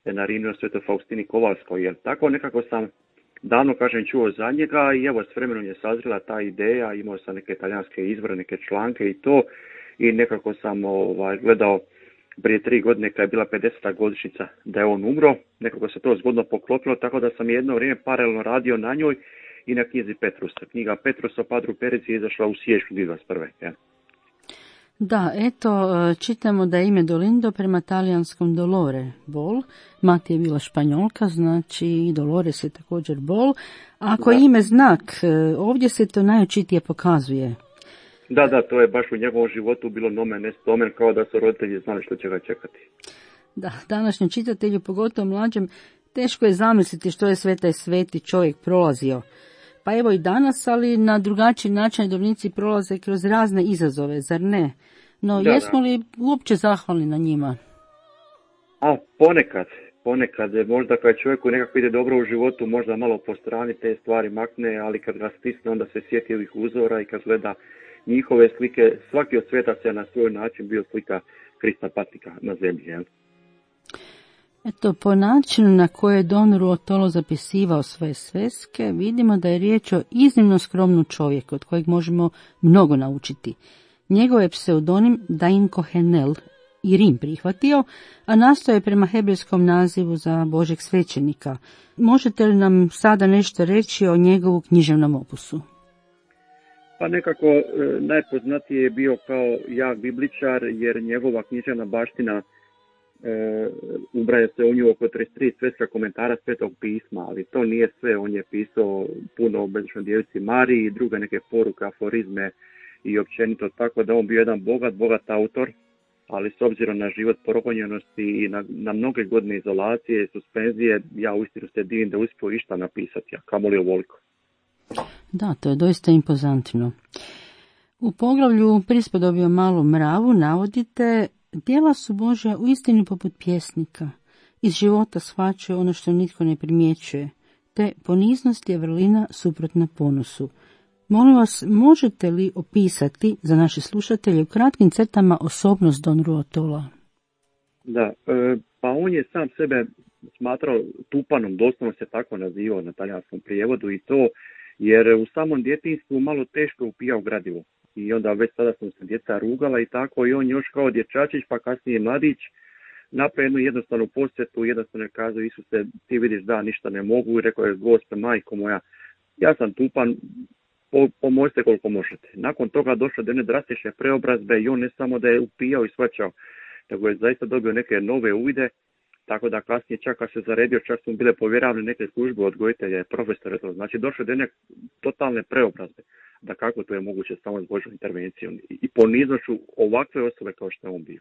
Speaker 13: narinio Svetoj Faustini Kovalskoj. Jer tako nekako sam davno, kažem, čuo za njega i evo s vremenom je sazrela ta ideja, imao sam neke talijanske izvore, neke članke i to, i nekako sam gledao prije 3 godine kad je bila 50. godišnjica da je on umro, nekako se to zgodno poklopilo, tako da sam jedno vrijeme paralelno radio na njoj i na knjizi Petrusa. Knjiga Petrusa o Padru Perici je izašla u siječnju 2021. Ja.
Speaker 12: Da, eto, čitamo da je ime Dolindo prema talijanskom Dolore, bol. Mati je bila Španjolka, znači i Dolores je također bol. Ako je ime znak, ovdje se to najočitije pokazuje.
Speaker 13: Da, to je baš u njegovom životu bilo nomen est omen, kao da su roditelji znali što će ga čekati.
Speaker 12: Da, današnjem čitatelju, pogotovo mlađem, teško je zamisliti što je sve taj sveti čovjek prolazio. Pa evo i danas, ali na drugačiji način redovnici prolaze kroz razne izazove, zar ne? No, jesmo li uopće zahvalni na njima?
Speaker 13: A ponekad, možda kad čovjeku nekako ide dobro u životu, možda malo po strani te stvari makne, ali kad ga stisne, onda se sjeti ovih uzora i kad gleda njihove slike, svaki od sveta se na svoj način bio slika Krista patnika na zemlji. Jel?
Speaker 12: Eto, po načinu na koje je Don Ruotolo zapisivao svoje sveske, vidimo da je riječ o iznimno skromnom čovjeku, od kojeg možemo mnogo naučiti. Njegov je pseudonim Dain Kohenel i Rim prihvatio, a nastao je prema hebrejskom nazivu za Božeg svećenika. Možete li nam sada nešto reći o njegovu književnom opusu?
Speaker 13: Pa nekako najpoznatiji je bio kao jak bibličar, jer njegova književna baština ubraja se u nju oko 33 sveska komentara Svetog pisma, ali to nije sve. On je pisao puno o Bezdečnoj djevici Mariji i druge neke poruke, aforizme i općenito, tako da on bio jedan bogat autor, ali s obzirom na život progonjenosti i na mnoge godine izolacije i suspenzije, ja uistinu se divim da uspio išta napisati, a kamoli ovoliko.
Speaker 12: Da, to je doista impozantno. U poglavlju Prispodobio malu mravu navodite: djela su Božja uistinu poput pjesnika. Iz života shvaćaju ono što nitko ne primjećuje, te poniznost je vrlina suprotna ponosu. Molim vas, možete li opisati za naše slušatelje u kratkim crtama osobnost Don Ruotola?
Speaker 13: Da, pa on je sam sebe smatrao tupanom, doslovno se tako nazivao na talijanskom prijevodu i to jer u samom djetinjstvu malo teško upijao gradivo. I onda već sada sam se djeca rugala i tako, i on još kao dječačić, pa kasnije mladić, napravio jednu jednostavnu posjetu, jednostavno je kazao: Isuse, ti vidiš da ništa ne mogu, i rekao je: Gospe, majko moja, ja sam tupan, pomozite koliko možete. Nakon toga došlo do jedne drastične preobrazbe i on ne samo da je upijao i shvaćao, nego je zaista dobio neke nove uvide, tako da kasnije čak kad se zaredio, čak su bile povjeravane neke službe odgojitelja, profesore, to znači došlo do jedne totalne preobrazbe. Da kako to je moguće samo s Božjom intervencijom i poniznošću ovakve osobe kao što je on bio.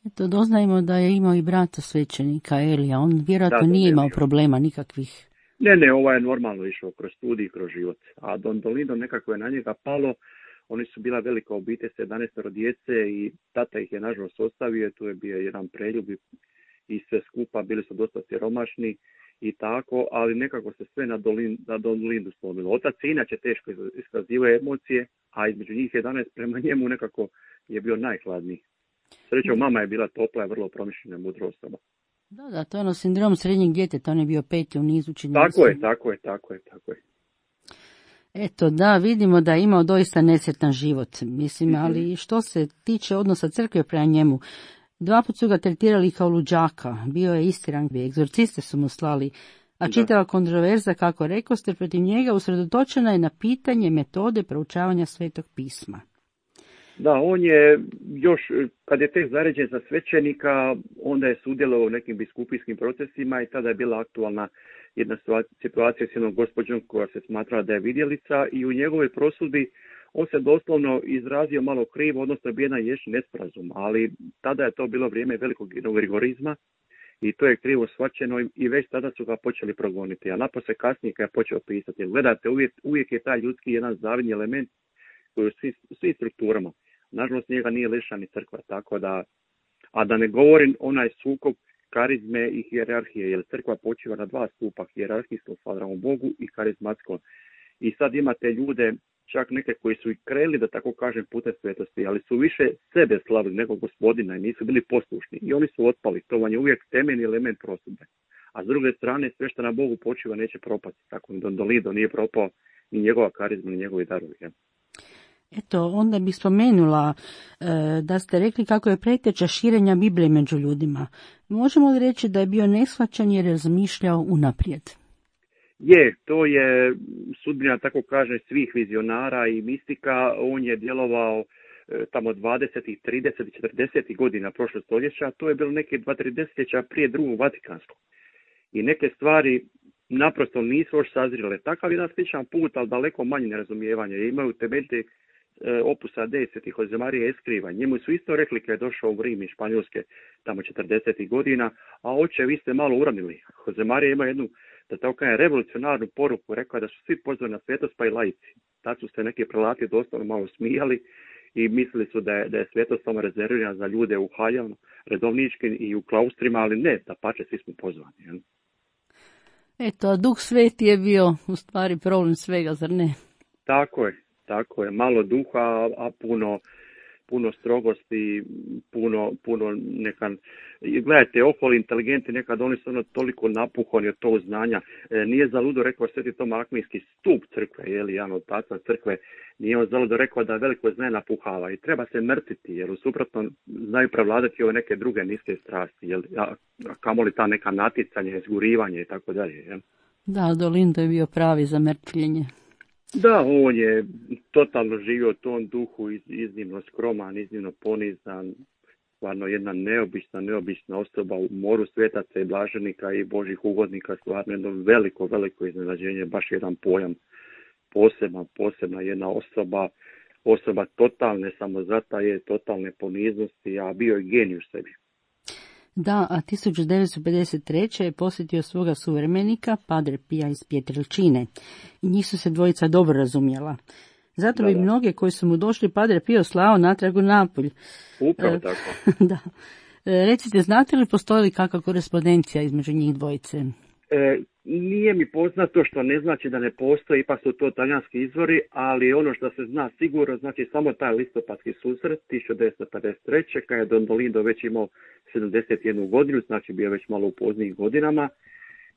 Speaker 12: Eto, doznajemo da je imao i brata svećenika Elija, on vjerojatno nije imao problema nikakvih.
Speaker 13: Ne, ovaj je normalno išao kroz studij i kroz život, a Don Dolindo nekako je na njega palo. Oni su bila velika obitelj, 11 djece i tata ih je nažalost ostavio, tu je bio jedan preljub i sve skupa, bili su dosta siromašni i tako, ali nekako se sve na Don Lindu slomilo. Otac inače teško iskazivao emocije, a između njih 11 prema njemu nekako je bio najhladniji. Srećom, mama je bila topla i vrlo promišljena, mudra osoba.
Speaker 12: Da, to je ono sindrom srednjeg djeteta, on je bio 5. u nizu čini.
Speaker 13: Tako je.
Speaker 12: Eto, da, vidimo da je imao doista nesretan život, mislim, ali što se tiče odnosa crkve prema njemu, 2 puta su ga tretirali kao luđaka, bio je istiran, egzorciste su mu slali, a čitava kontroverza, kako rekoste, protiv njega usredotočena je na pitanje metode proučavanja Svetog pisma.
Speaker 13: Da, on je još, kad je tek zaređen za svećenika, onda je sudjelovao u nekim biskupijskim procesima i tada je bila aktualna jedna situacija s jednom gospođom koja se smatra da je vidjelica i u njegovoj prosudbi on se doslovno izrazio malo krivo, odnosno bio jedan nesporazum, ali tada je to bilo vrijeme velikog rigorizma i to je krivo shvaćeno i već tada su ga počeli progoniti, a napose kasnije kad je počeo pisati. Gledajte, uvijek je taj ljudski jedan zavidni element koji u svim strukturama. Nažalost, njega nije lišena ni crkva, tako da, a da ne govorim onaj sukob karizme i hijerarhije, jer crkva počiva na 2 stupa, hijerarhijskom slavom Bogu i karizmatskom. I sad imate ljude, čak neke koji su i kreli, da tako kažem, putem svetosti, ali su više sebe slavili nego Gospodina i nisu bili poslušni. I oni su otpali, to vam je uvijek temeljni element prosudbe. A s druge strane, sve što na Bogu počiva neće propasti, tako ni Don Lindo nije propao, ni njegova karizma, ni njegovi darovi. Ja.
Speaker 12: Eto, onda bih spomenula da ste rekli kako je preteča širenja Biblije među ljudima. Možemo li reći da je bio neshvaćan jer je razmišljao unaprijed?
Speaker 13: To je sudbina, tako kaže, svih vizionara i mistika. On je djelovao tamo 20, 30, 40 godina prošlog stoljeća. To je bilo neke 2-3 desetljeća prije drugog Vatikanskog. I neke stvari naprosto nisu još sazrile. Takav jedan sličan put, ali daleko manje nerazumijevanja. Imaju temeljite opusa 10 Josemarija Eskriva. Njemu su isto rekli kad je došao u Rim iz Španjolske tamo 40. godina, a oče, vi ste malo uranili. Josemarija ima jednu, da tako kažem, revolucionarnu poruku, rekao da su svi pozvani na svetost, pa i laici. Tad su se neki prelati doslovno malo smijali i mislili su da je svetost samo rezervirana za ljude u haljama, redovničkim i u klaustrima, ali ne, da pače, svi smo pozvani. Ja.
Speaker 12: Eto, a Duh Sveti je bio u stvari problem svega, zar ne?
Speaker 13: Tako je, malo duha, a puno strogosti, puno nekan. Gledajte, oholi inteligenti, nekad oni su toliko napuhani od tog znanja. Nije zaludo rekao Sveti Toma Akvinski, stup crkve, jedan od otaca crkve, nije on zaludo rekao da veliko znanje napuhava i treba se mrtiti, jer u suprotno znaju prevladati ove neke druge niske strasti, a kamoli ta neka natjecanja, izgurivanje i tako dalje. Jel?
Speaker 12: Da, Don Lindo je bio pravi za mrtvljenje.
Speaker 13: Da, on je totalno živio u tom duhu, iznimno skroman, iznimno ponizan, stvarno jedna neobična osoba u moru svetaca i blaženika i božih ugodnika, stvarno jedno veliko iznenađenje, baš jedan pojam, posebna jedna osoba totalne samozataje, totalne poniznosti, a bio je genij u sebi.
Speaker 12: Da, a 1953. je posjetio svoga suvremenika, Padre Pija iz Pietrelcine. I njih su se dvojica dobro razumjela. Zato bi mnoge koji su mu došli Padre Pio slao natrag u Napulj.
Speaker 13: Upravo tako.
Speaker 12: Da. Recite, znate li postoji li kakva korespondencija između njih dvojice?
Speaker 13: Nije mi poznato, što ne znači da ne postoji, ipak su to talijanski izvori, ali ono što se zna sigurno, znači samo taj listopadski susret 1953. kad je Don Lindo već imao 71 godinu, znači bio već malo u poznijih godinama,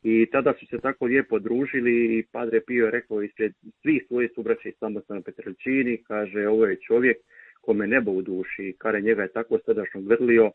Speaker 13: i tada su se tako lijepo družili i Padre Pio je rekao ispred svih svojih subraća iz samostana Pietrelcini, kaže, ovo je čovjek kome nebo u duši, kare njega je tako srdačno grlio,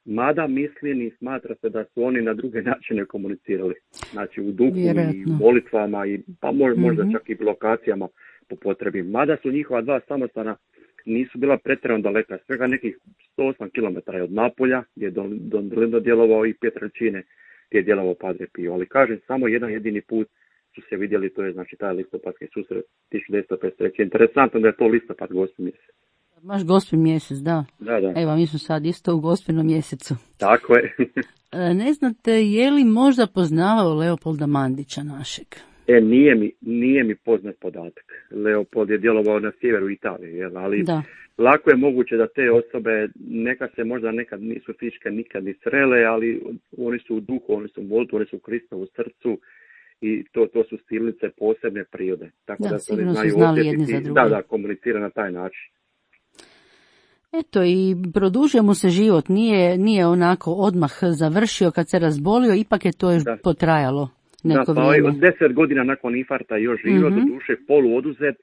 Speaker 13: mada mislim i smatra se da su oni na druge načine komunicirali. Znači u duhu i molitvama, i pa možda čak i lokacijama po potrebi. Mada su njihova 2 samostana nisu bila pretjerano daleka, svega nekih 108 km od Napolja, gdje je Don Lindo djelovao, i Pietrelcine gdje je djelovao Padre Pio. Ali kažem, samo jedan jedini put su se vidjeli, to je znači taj listopadski susret 1953. Interesantno da je to listopad, Gospin mjesec.
Speaker 12: Baš Gospin mjesec, da.
Speaker 13: Da.
Speaker 12: Evo, mi smo sad isto u Gospinom mjesecu.
Speaker 13: Tako je.
Speaker 12: Ne znate, je li možda poznavao Leopolda Mandića našeg?
Speaker 13: Nije mi poznat podatak. Leopold je djelovao na sjeveru Italije, jel? Ali
Speaker 12: da.
Speaker 13: Lako je moguće da te osobe možda nekad nisu fizičke nikad ni srele, ali oni su u duhu, oni su u molitvi, oni su u Kristovu srcu i to su silnice posebne prirode. Tako da se oni znaju
Speaker 12: znali jedni za druge.
Speaker 13: Da, komunicira na taj način.
Speaker 12: Eto, i produžio mu se život, nije onako odmah završio kad se razbolio, ipak je to još potrajalo neko vrijeme.
Speaker 13: Od 10 godina nakon infarkta još živio, do duše polu oduzet,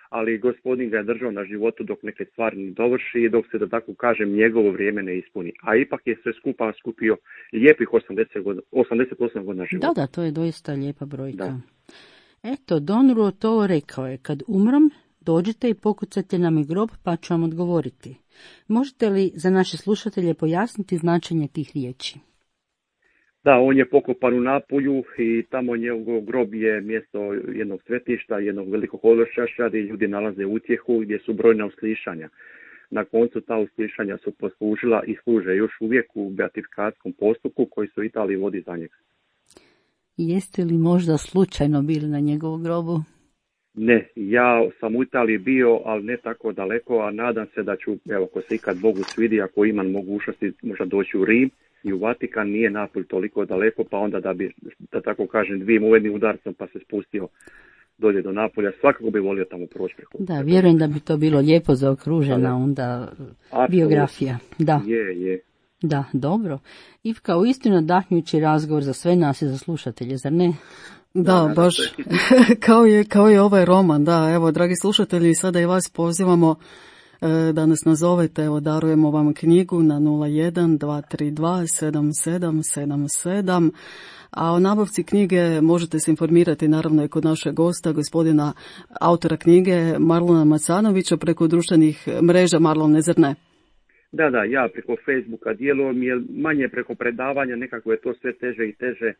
Speaker 13: ali gospodin ga je držao na životu dok neke stvari ne dovrši i dok se, da tako kažem, njegovo vrijeme ne ispuni. A ipak je sve skupa skupio lijepih 88 godina života.
Speaker 12: Da, to je doista lijepa brojka. Da. Eto, Don Ruotolo rekao je, kad umrem, dođite i pokucajte nam i grob, pa ću vam odgovoriti. Možete li za naše slušatelje pojasniti značenje tih riječi?
Speaker 13: Da, on je pokopan u Napulju i tamo njegov grob je mjesto jednog svetišta, jednog velikog ološaša gdje ljudi nalaze utjehu, gdje su brojna uslišanja. Na koncu ta uslišanja su poslužila i služe još uvijek u beatifikatskom postupku koji se u Italiji vodi za njega.
Speaker 12: Jeste li možda slučajno bili na njegovom grobu?
Speaker 13: Ne, ja sam u Italiji bio, ali ne tako daleko, a nadam se da ću, ako se ikad Bogu svidi, ako imam mogućnosti možda doći u Rim i u Vatikan, nije Napulj toliko daleko, pa onda da bi, da tako kažem, dvijim uvednim udarcom pa se spustio dolje do Napulja, svakako bi volio tamo proći preko.
Speaker 12: Da, vjerujem da bi to bilo lijepo zaokružena onda biografija. Da.
Speaker 13: Je.
Speaker 12: Da, dobro. Ivka, uistinu nadahnjujući razgovor za sve nas i za slušatelje, zar ne?
Speaker 1: Da, baš kao je ovaj roman, da, evo, dragi slušatelji, sada i vas pozivamo da nas nazovete, evo, darujemo vam knjigu na 01-232-7777, a o nabavci knjige možete se informirati naravno i kod našeg gosta, gospodina autora knjige Marlona Macanovića preko društvenih mreža. Marlon, zar ne?
Speaker 13: Da, ja preko Facebooka djelujem, jer manje preko predavanja, nekako je to sve teže i teže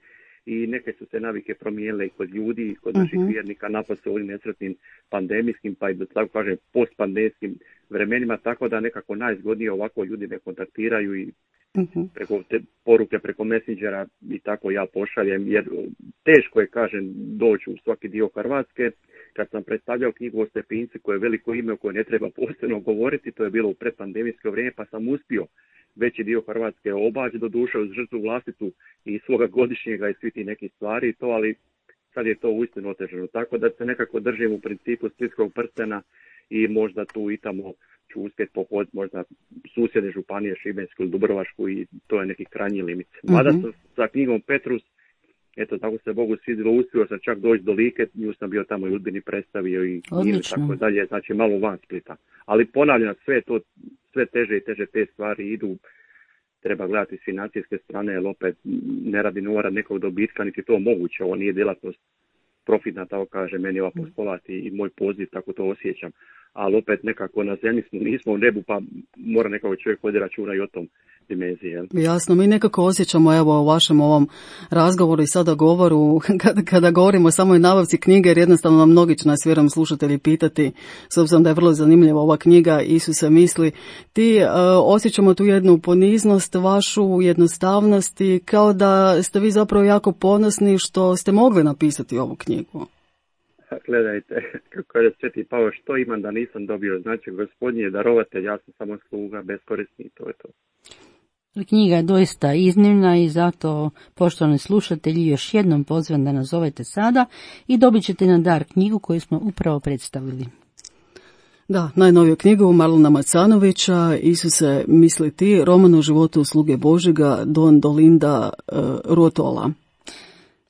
Speaker 13: i neke su se navike promijenile i kod ljudi, i kod naših vjernika, napad se ovim nesretnim pandemijskim, pa i da tako kažem postpandemijskim vremenima, tako da nekako najzgodnije ovako ljudi me kontaktiraju i preko te poruke, preko Messengera i tako ja pošaljem, jer teško je, kažem, doći u svaki dio Hrvatske. Kad sam predstavljao knjigu o Stepinci, koje je veliko ime o kojoj ne treba posebno govoriti, to je bilo u predpandemijsko vrijeme, pa sam uspio veći dio Hrvatske obaći, do duše uz žrtvu vlastitu i svoga godišnjega i svi ti neki stvari, to, ali sad je to uistinu otežano. Tako da se nekako držim u principu splitskog prstena i možda tu i tamo ću uspjeti pohoditi možda susjedne županije, Šibensku ili Dubrovačku, i to je neki krajnji limit. Mada sam sa knjigom Petrus, eto, tako se Bogu svidjelo, uspio sam čak doći do Like, nju sam bio tamo i Udbini predstavio i tako dalje, znači malo van Splita. Ali ponavljam, sve teže i teže te stvari idu, treba gledati s financijske strane, jer opet ne radi novara nekog dobitka, niti to moguće, ovo nije djelatnost profitna, tako kaže meni ova postolat i moj poziv, tako to osjećam. Ali opet nekako na zemlji nismo u nebu, pa mora nekako čovjek vodi računa i o tom dimenziji. Jel?
Speaker 1: Jasno, mi nekako osjećamo, evo, u vašem ovom razgovoru i sada govoru, kada govorimo o samoj nabavci knjige, jer jednostavno mnogi će nas, vjerujem, slušatelji pitati, s obzirom da je vrlo zanimljiva ova knjiga Isuse misli, ti osjećamo tu jednu poniznost, vašu jednostavnost i kao da ste vi zapravo jako ponosni što ste mogli napisati ovu knjigu.
Speaker 13: Gledajte, kako je Sveti Pavao, što imam da nisam dobio, znači Gospodin je darovatelj, ja sam samo sluga, beskorisni i to je to.
Speaker 12: Knjiga je doista iznimna i zato, poštovani slušatelji, još jednom pozivam da nazovete sada i dobit ćete na dar knjigu koju smo upravo predstavili.
Speaker 1: Da, najnoviju knjigu Marlona Macanovića, Isuse misli ti, roman o životu sluge Božjega, Don Dolinda Ruotola.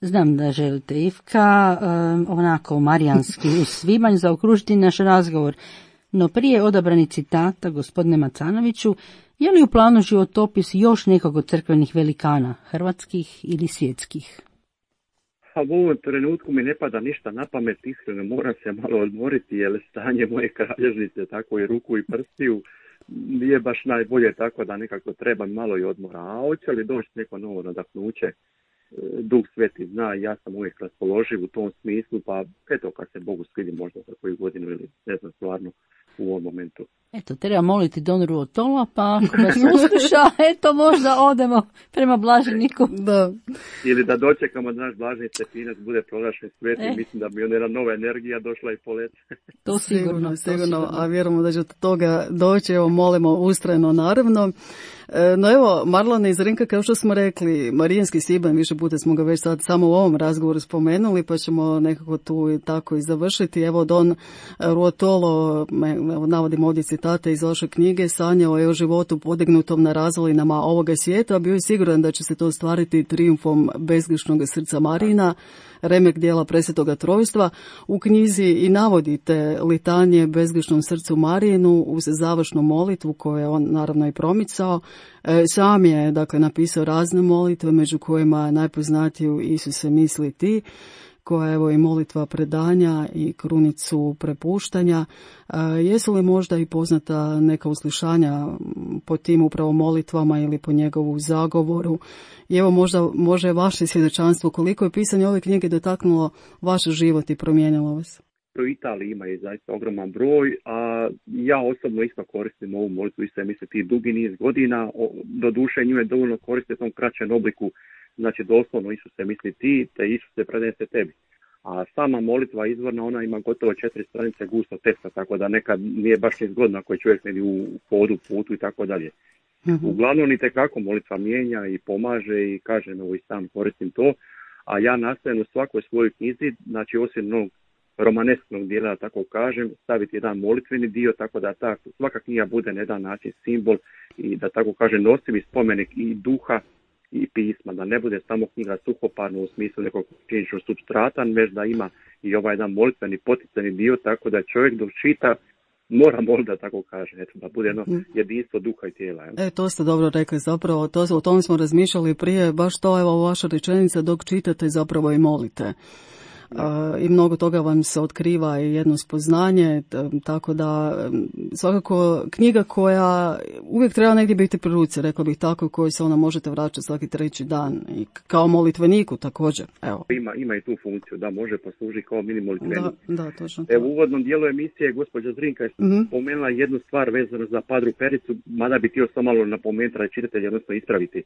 Speaker 12: Znam da želite, Ivka, onako marijanski u svibanj zaokružiti naš razgovor, no prije odabrani citata, gospodine Macanoviću, je li u planu životopis još nekog od crkvenih velikana, hrvatskih ili svjetskih?
Speaker 13: A u ovom trenutku mi ne pada ništa na pamet, iskreno moram se malo odmoriti, jer stanje moje kralježnice, tako i ruku i prstiju, nije baš najbolje, tako da nekako treba malo i odmora. A hoće li doći neko novo nadahnuće? Duh Sveti zna, ja sam uvijek raspoloživ u tom smislu, pa eto kad se Bogu svidi možda za koju godinu ili ne znam stvarno u ovom momentu.
Speaker 12: Eto, treba moliti Don Ruotola, pa ako nas usluša, eto, možda odemo prema blaženiku.
Speaker 1: Da.
Speaker 13: Ili da dočekamo da naš blaženi Stepinac bude proglašen svetim, mislim da bi onda jedna nova energija došla i polet.
Speaker 12: To sigurno.
Speaker 1: A vjerujemo da će od toga doći, evo molimo ustrajno naravno. No evo, Marlane i Zrinka, kao što smo rekli, Marijanski svibanj, više puta smo ga već sad samo u ovom razgovoru spomenuli, pa ćemo nekako tu tako i završiti. Evo, Don Ruotolo, navodim ovdje citate iz vaše knjige, sanjao je o životu podignutom na razvalinama ovoga svijeta, a bio je siguran da će se to ostvariti trijumfom bezgrešnog srca Marijina, remek dijela Presvetoga Trojstva. U knjizi i navodite litanije bezgrešnom srcu Marijinu uz završnu molitvu koju je on naravno i promicao. Sam je dakle napisao razne molitve, među kojima najpoznatiju Isuse misli ti, koja je evo i molitva predanja i krunicu prepuštanja. Jesu li možda i poznata neka uslišanja po tim upravo molitvama ili po njegovu zagovoru? I evo možda je vaše svjedočanstvo koliko je pisanje ove knjige dotaknulo vaš život i promijenilo vas?
Speaker 13: U Italiji ima je zaista ogroman broj, a ja osobno isto koristim ovu molitvu, isto je mislim ti dugi niz godina, do duše nju je dovoljno koristiti u tom kraćem obliku, znači doslovno Isuse misli ti, te Isuse predajem se tebi. A sama molitva izvorna, ona ima gotovo 4 stranice gusto teksta, tako da nekad nije baš ni zgodno ako je čovjek negdje u hodu, putu i tako dalje. Uglavnom i tekako molitva mijenja i pomaže i kažem, evo i sam koristim to, a ja nastavim u svakoj svojoj knjizi, znači osim onog romanesknog dijela, tako kažem, staviti jedan molitveni dio, tako da svaka knjiga bude na jedan način simbol i da tako kažem nosivi spomenik i duha i pisma, da ne bude samo knjiga suhoparna u smislu nekog činičnog supstrata, već da ima i ovaj jedan molitveni poticani dio, tako da čovjek dok čita mora moliti, da tako kaže, eto, da bude jedno jedinstvo duha i tijela.
Speaker 1: To ste dobro rekli, zapravo o tome smo razmišljali prije, baš to evo vaša rečenica, dok čitate zapravo i molite. I mnogo toga vam se otkriva i jedno spoznanje, tako da svakako knjiga koja uvijek treba negdje biti pri ruci, rekla bih tako, koju se ona možete vraćati svaki treći dan i kao molitveniku također. Evo.
Speaker 13: Ima i tu funkciju da može poslužiti kao mini molitvenik.
Speaker 1: Da, točno.
Speaker 13: U uvodnom dijelu emisije gospođa Zrinka je spomenula jednu stvar vezanu za Padru Pericu, mada bi htio samo malo napomenuti da čitatelji odnosno ispraviti.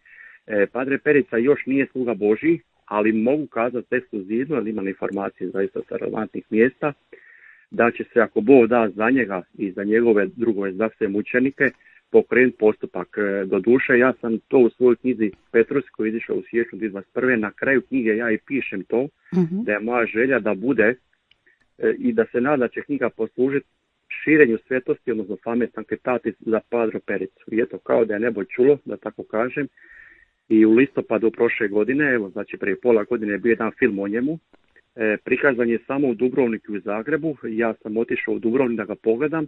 Speaker 13: Padre Perica još nije sluga Božji, ali mogu kazati ekskluzivno, ali imam informacije zaista sa relevantnih mjesta, da će se, ako Bog da za njega i za njegove drugove zdravstvene mučenike, pokrenuti postupak. Do duše, ja sam to u svojoj knjizi Petrus, koji je izišao u siječnju 2021. Na kraju knjige ja i pišem to, da je moja želja da bude i da se nada će knjiga poslužiti širenju svetosti, odnosno fame sanctitatis za Padro Pericu. I eto, kao da je nebo čulo, da tako kažem, i u listopadu prošle godine, evo, znači prije pola godine je bio jedan film o njemu, prikazan je samo u Dubrovniku i u Zagrebu, ja sam otišao u Dubrovnik da ga pogledam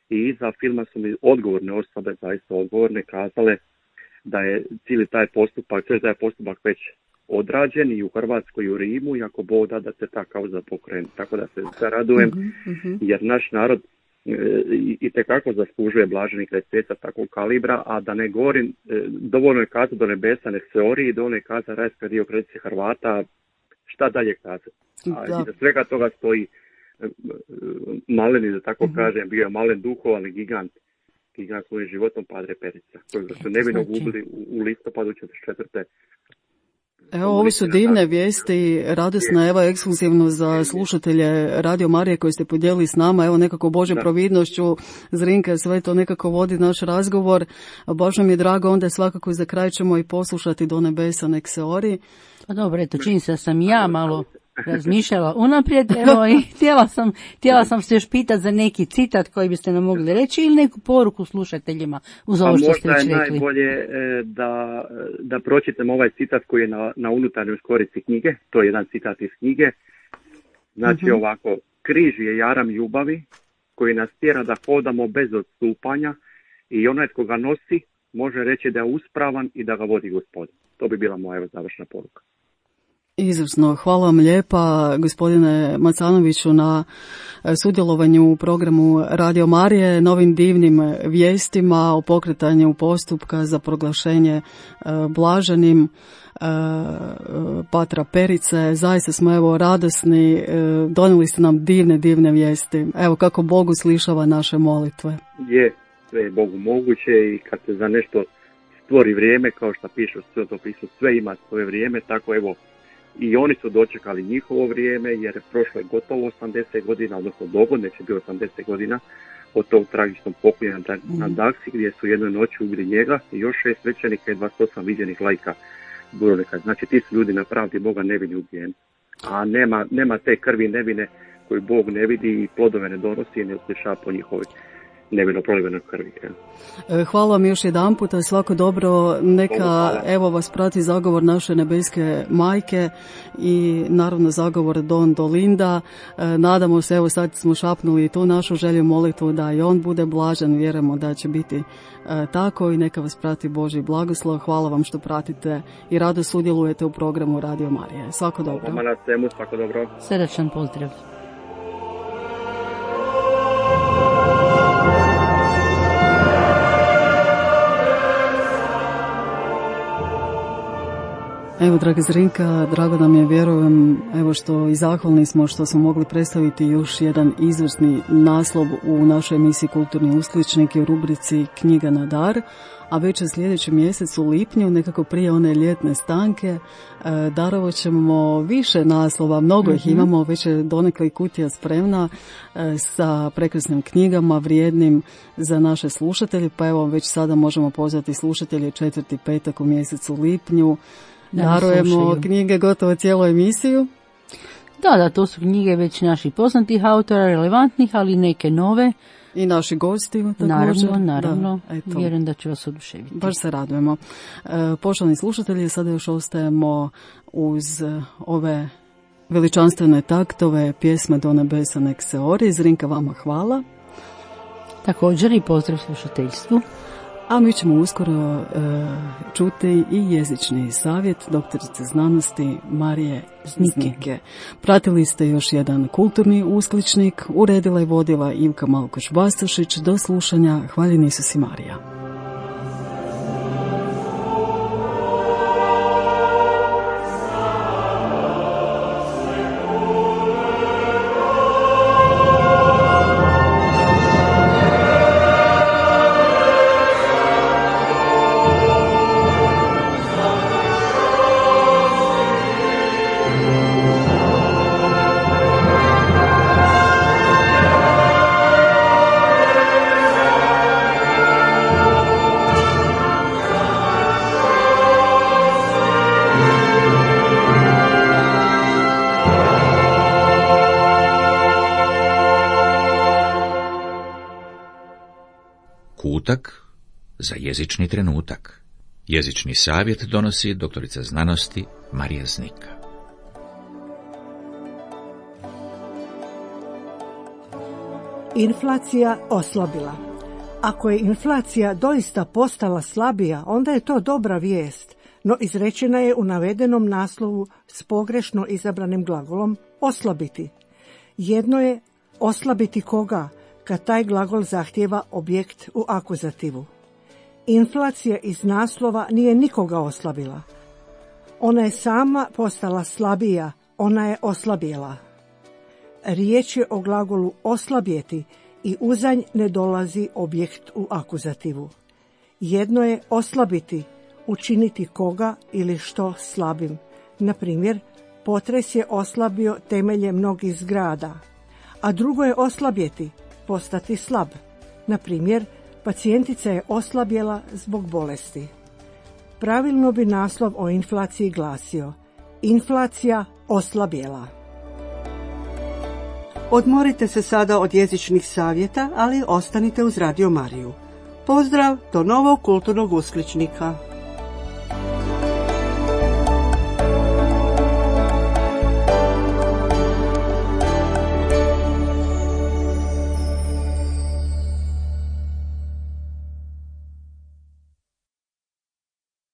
Speaker 13: i iza filma su mi odgovorne osobe, zaista odgovorne, kazale da je cijeli taj postupak već odrađen i u Hrvatskoj i u Rimu, i ako Bog da se ta kauza pokrene. Tako da se radujem, jer naš narod i tekako zaslužuje blaženika i svijeta takvog kalibra, a da ne govorim, dovoljno je kazati do nebesa nek se ori i dovoljno je kazati rajska dio kredice Hrvata, šta dalje kazati. I da svega toga stoji maleni, da tako kažem, bio je malen duhov, ali gigant svojim životom Padre Perica, kojeg su nevino gubili u listopadu 1944.
Speaker 1: Evo, ovo su divne vijesti, radosna, evo, ekskluzivno za slušatelje Radio Marije koji ste podijelili s nama, evo, nekako Božjom providnošću, Zrinka, sve to nekako vodi naš razgovor. Baš nam je drago, onda svakako za kraj ćemo i poslušati Do nebesa nek se ori.
Speaker 12: Pa dobro, eto, čini se da sam ja malo razmišljala unaprijed, evo, i htjela sam se još pitati za neki citat koji biste nam mogli reći ili neku poruku slušateljima uz ovo što ste već rekli.
Speaker 13: Možda je najbolje da pročitam ovaj citat koji je na unutarnjoj skorici knjige, to je jedan citat iz knjige, znači ovako: križ je jaram ljubavi koji nas tjera da hodamo bez odstupanja i onaj tko ga nosi može reći da je uspravan i da ga vodi Gospod. To bi bila moja završna poruka.
Speaker 1: Izvrsno, hvala vam lijepa gospodine Macanoviću na sudjelovanju u programu Radio Marije, novim divnim vijestima o pokretanju postupka za proglašenje blaženim Patra Perice. Zaista smo evo radosni, donijeli ste nam divne vijesti. Evo kako Bog uslišava naše molitve.
Speaker 13: Je, sve je Bogu moguće i kad se za nešto stvori vrijeme, kao što piše u Svetom pismu, sve ima svoje vrijeme, tako evo i oni su dočekali njihovo vrijeme, jer prošlo je gotovo 80 godina, odnosno dogodine će bio 80 godina od tog tragičnog pokolja na Daksi, gdje su jednoj noći ubili njega i još 6 svećenika i 28 viđenih laika Dubrovnika. Znači ti su ljudi na pravdi Boga nevini ubijeni. A nema te krvi nevine koju Bog ne vidi i plodove ne donosi i ne usliša po njihovoj nevino prolivenoj krvi.
Speaker 1: Hvala vam još jedan puta, svako dobro, neka evo vas prati zagovor naše nebeske majke i naravno zagovor Don Dolinda. Nadamo se, evo sad smo šapnuli tu našu želju molitvu da i on bude blažen, vjerujemo da će biti tako i neka vas prati Božji blagoslov. Hvala vam što pratite i rado sudjelujete u programu Radio Marije. Svako dobro.
Speaker 13: Hvala na svemu, svako dobro.
Speaker 12: Srdačan pozdrav.
Speaker 1: Evo, draga Zrinka, drago nam je, vjerujem, evo što i zahvalni smo što smo mogli predstaviti još jedan izvrsni naslov u našoj emisiji Kulturni uskličnik u rubrici Knjiga na dar, a već u sljedećem mjesecu u lipnju, nekako prije one ljetne stanke, darovat ćemo više naslova, mnogo ih imamo, već je donekle i kutija spremna sa prekrasnim knjigama, vrijednim za naše slušatelje, pa evo već sada možemo pozvati slušatelje 4. petak u mjesecu lipnju. Darujemo knjige gotovo cijelu emisiju.
Speaker 12: Da, to su knjige već naših poznatih autora, relevantnih, ali neke nove.
Speaker 1: I naši gosti također.
Speaker 12: Naravno. Vjerujem da će vas oduševiti.
Speaker 1: Baš se radujemo. Poštovani slušatelji, sada još ostajemo uz ove veličanstvene taktove pjesme Do nebesa nek se ori. Zrinka, vama hvala.
Speaker 12: Također i pozdrav slušateljstvu.
Speaker 1: A mi ćemo uskoro čuti i jezični savjet doktorice znanosti Marije Znike. Pratili ste još jedan kulturni uskličnik, uredila i vodila Ivka Malkoš-Bastašić. Do slušanja, hvaljen Isus i Marija.
Speaker 8: Kutak za jezični trenutak. Jezični savjet donosi doktorica znanosti Marija Znika.
Speaker 14: Inflacija oslabila. Ako je inflacija doista postala slabija, onda je to dobra vijest, no izrečena je u navedenom naslovu s pogrešno izabranim glagolom oslabiti. Jedno je oslabiti koga, kad taj glagol zahtijeva objekt u akuzativu. Inflacija iz naslova nije nikoga oslabila. Ona je sama postala slabija, ona je oslabjela. Riječ je o glagolu oslabjeti i uza nj ne dolazi objekt u akuzativu. Jedno je oslabiti, učiniti koga ili što slabim. Na primjer, potres je oslabio temelje mnogih zgrada, a drugo je oslabjeti, postati slab. Na primjer, pacijentica je oslabjela zbog bolesti. Pravilno bi naslov o inflaciji glasio: inflacija oslabjela.
Speaker 15: Odmorite se sada od jezičnih savjeta, ali ostanite uz Radio Mariju. Pozdrav do novog kulturnog uskličnika.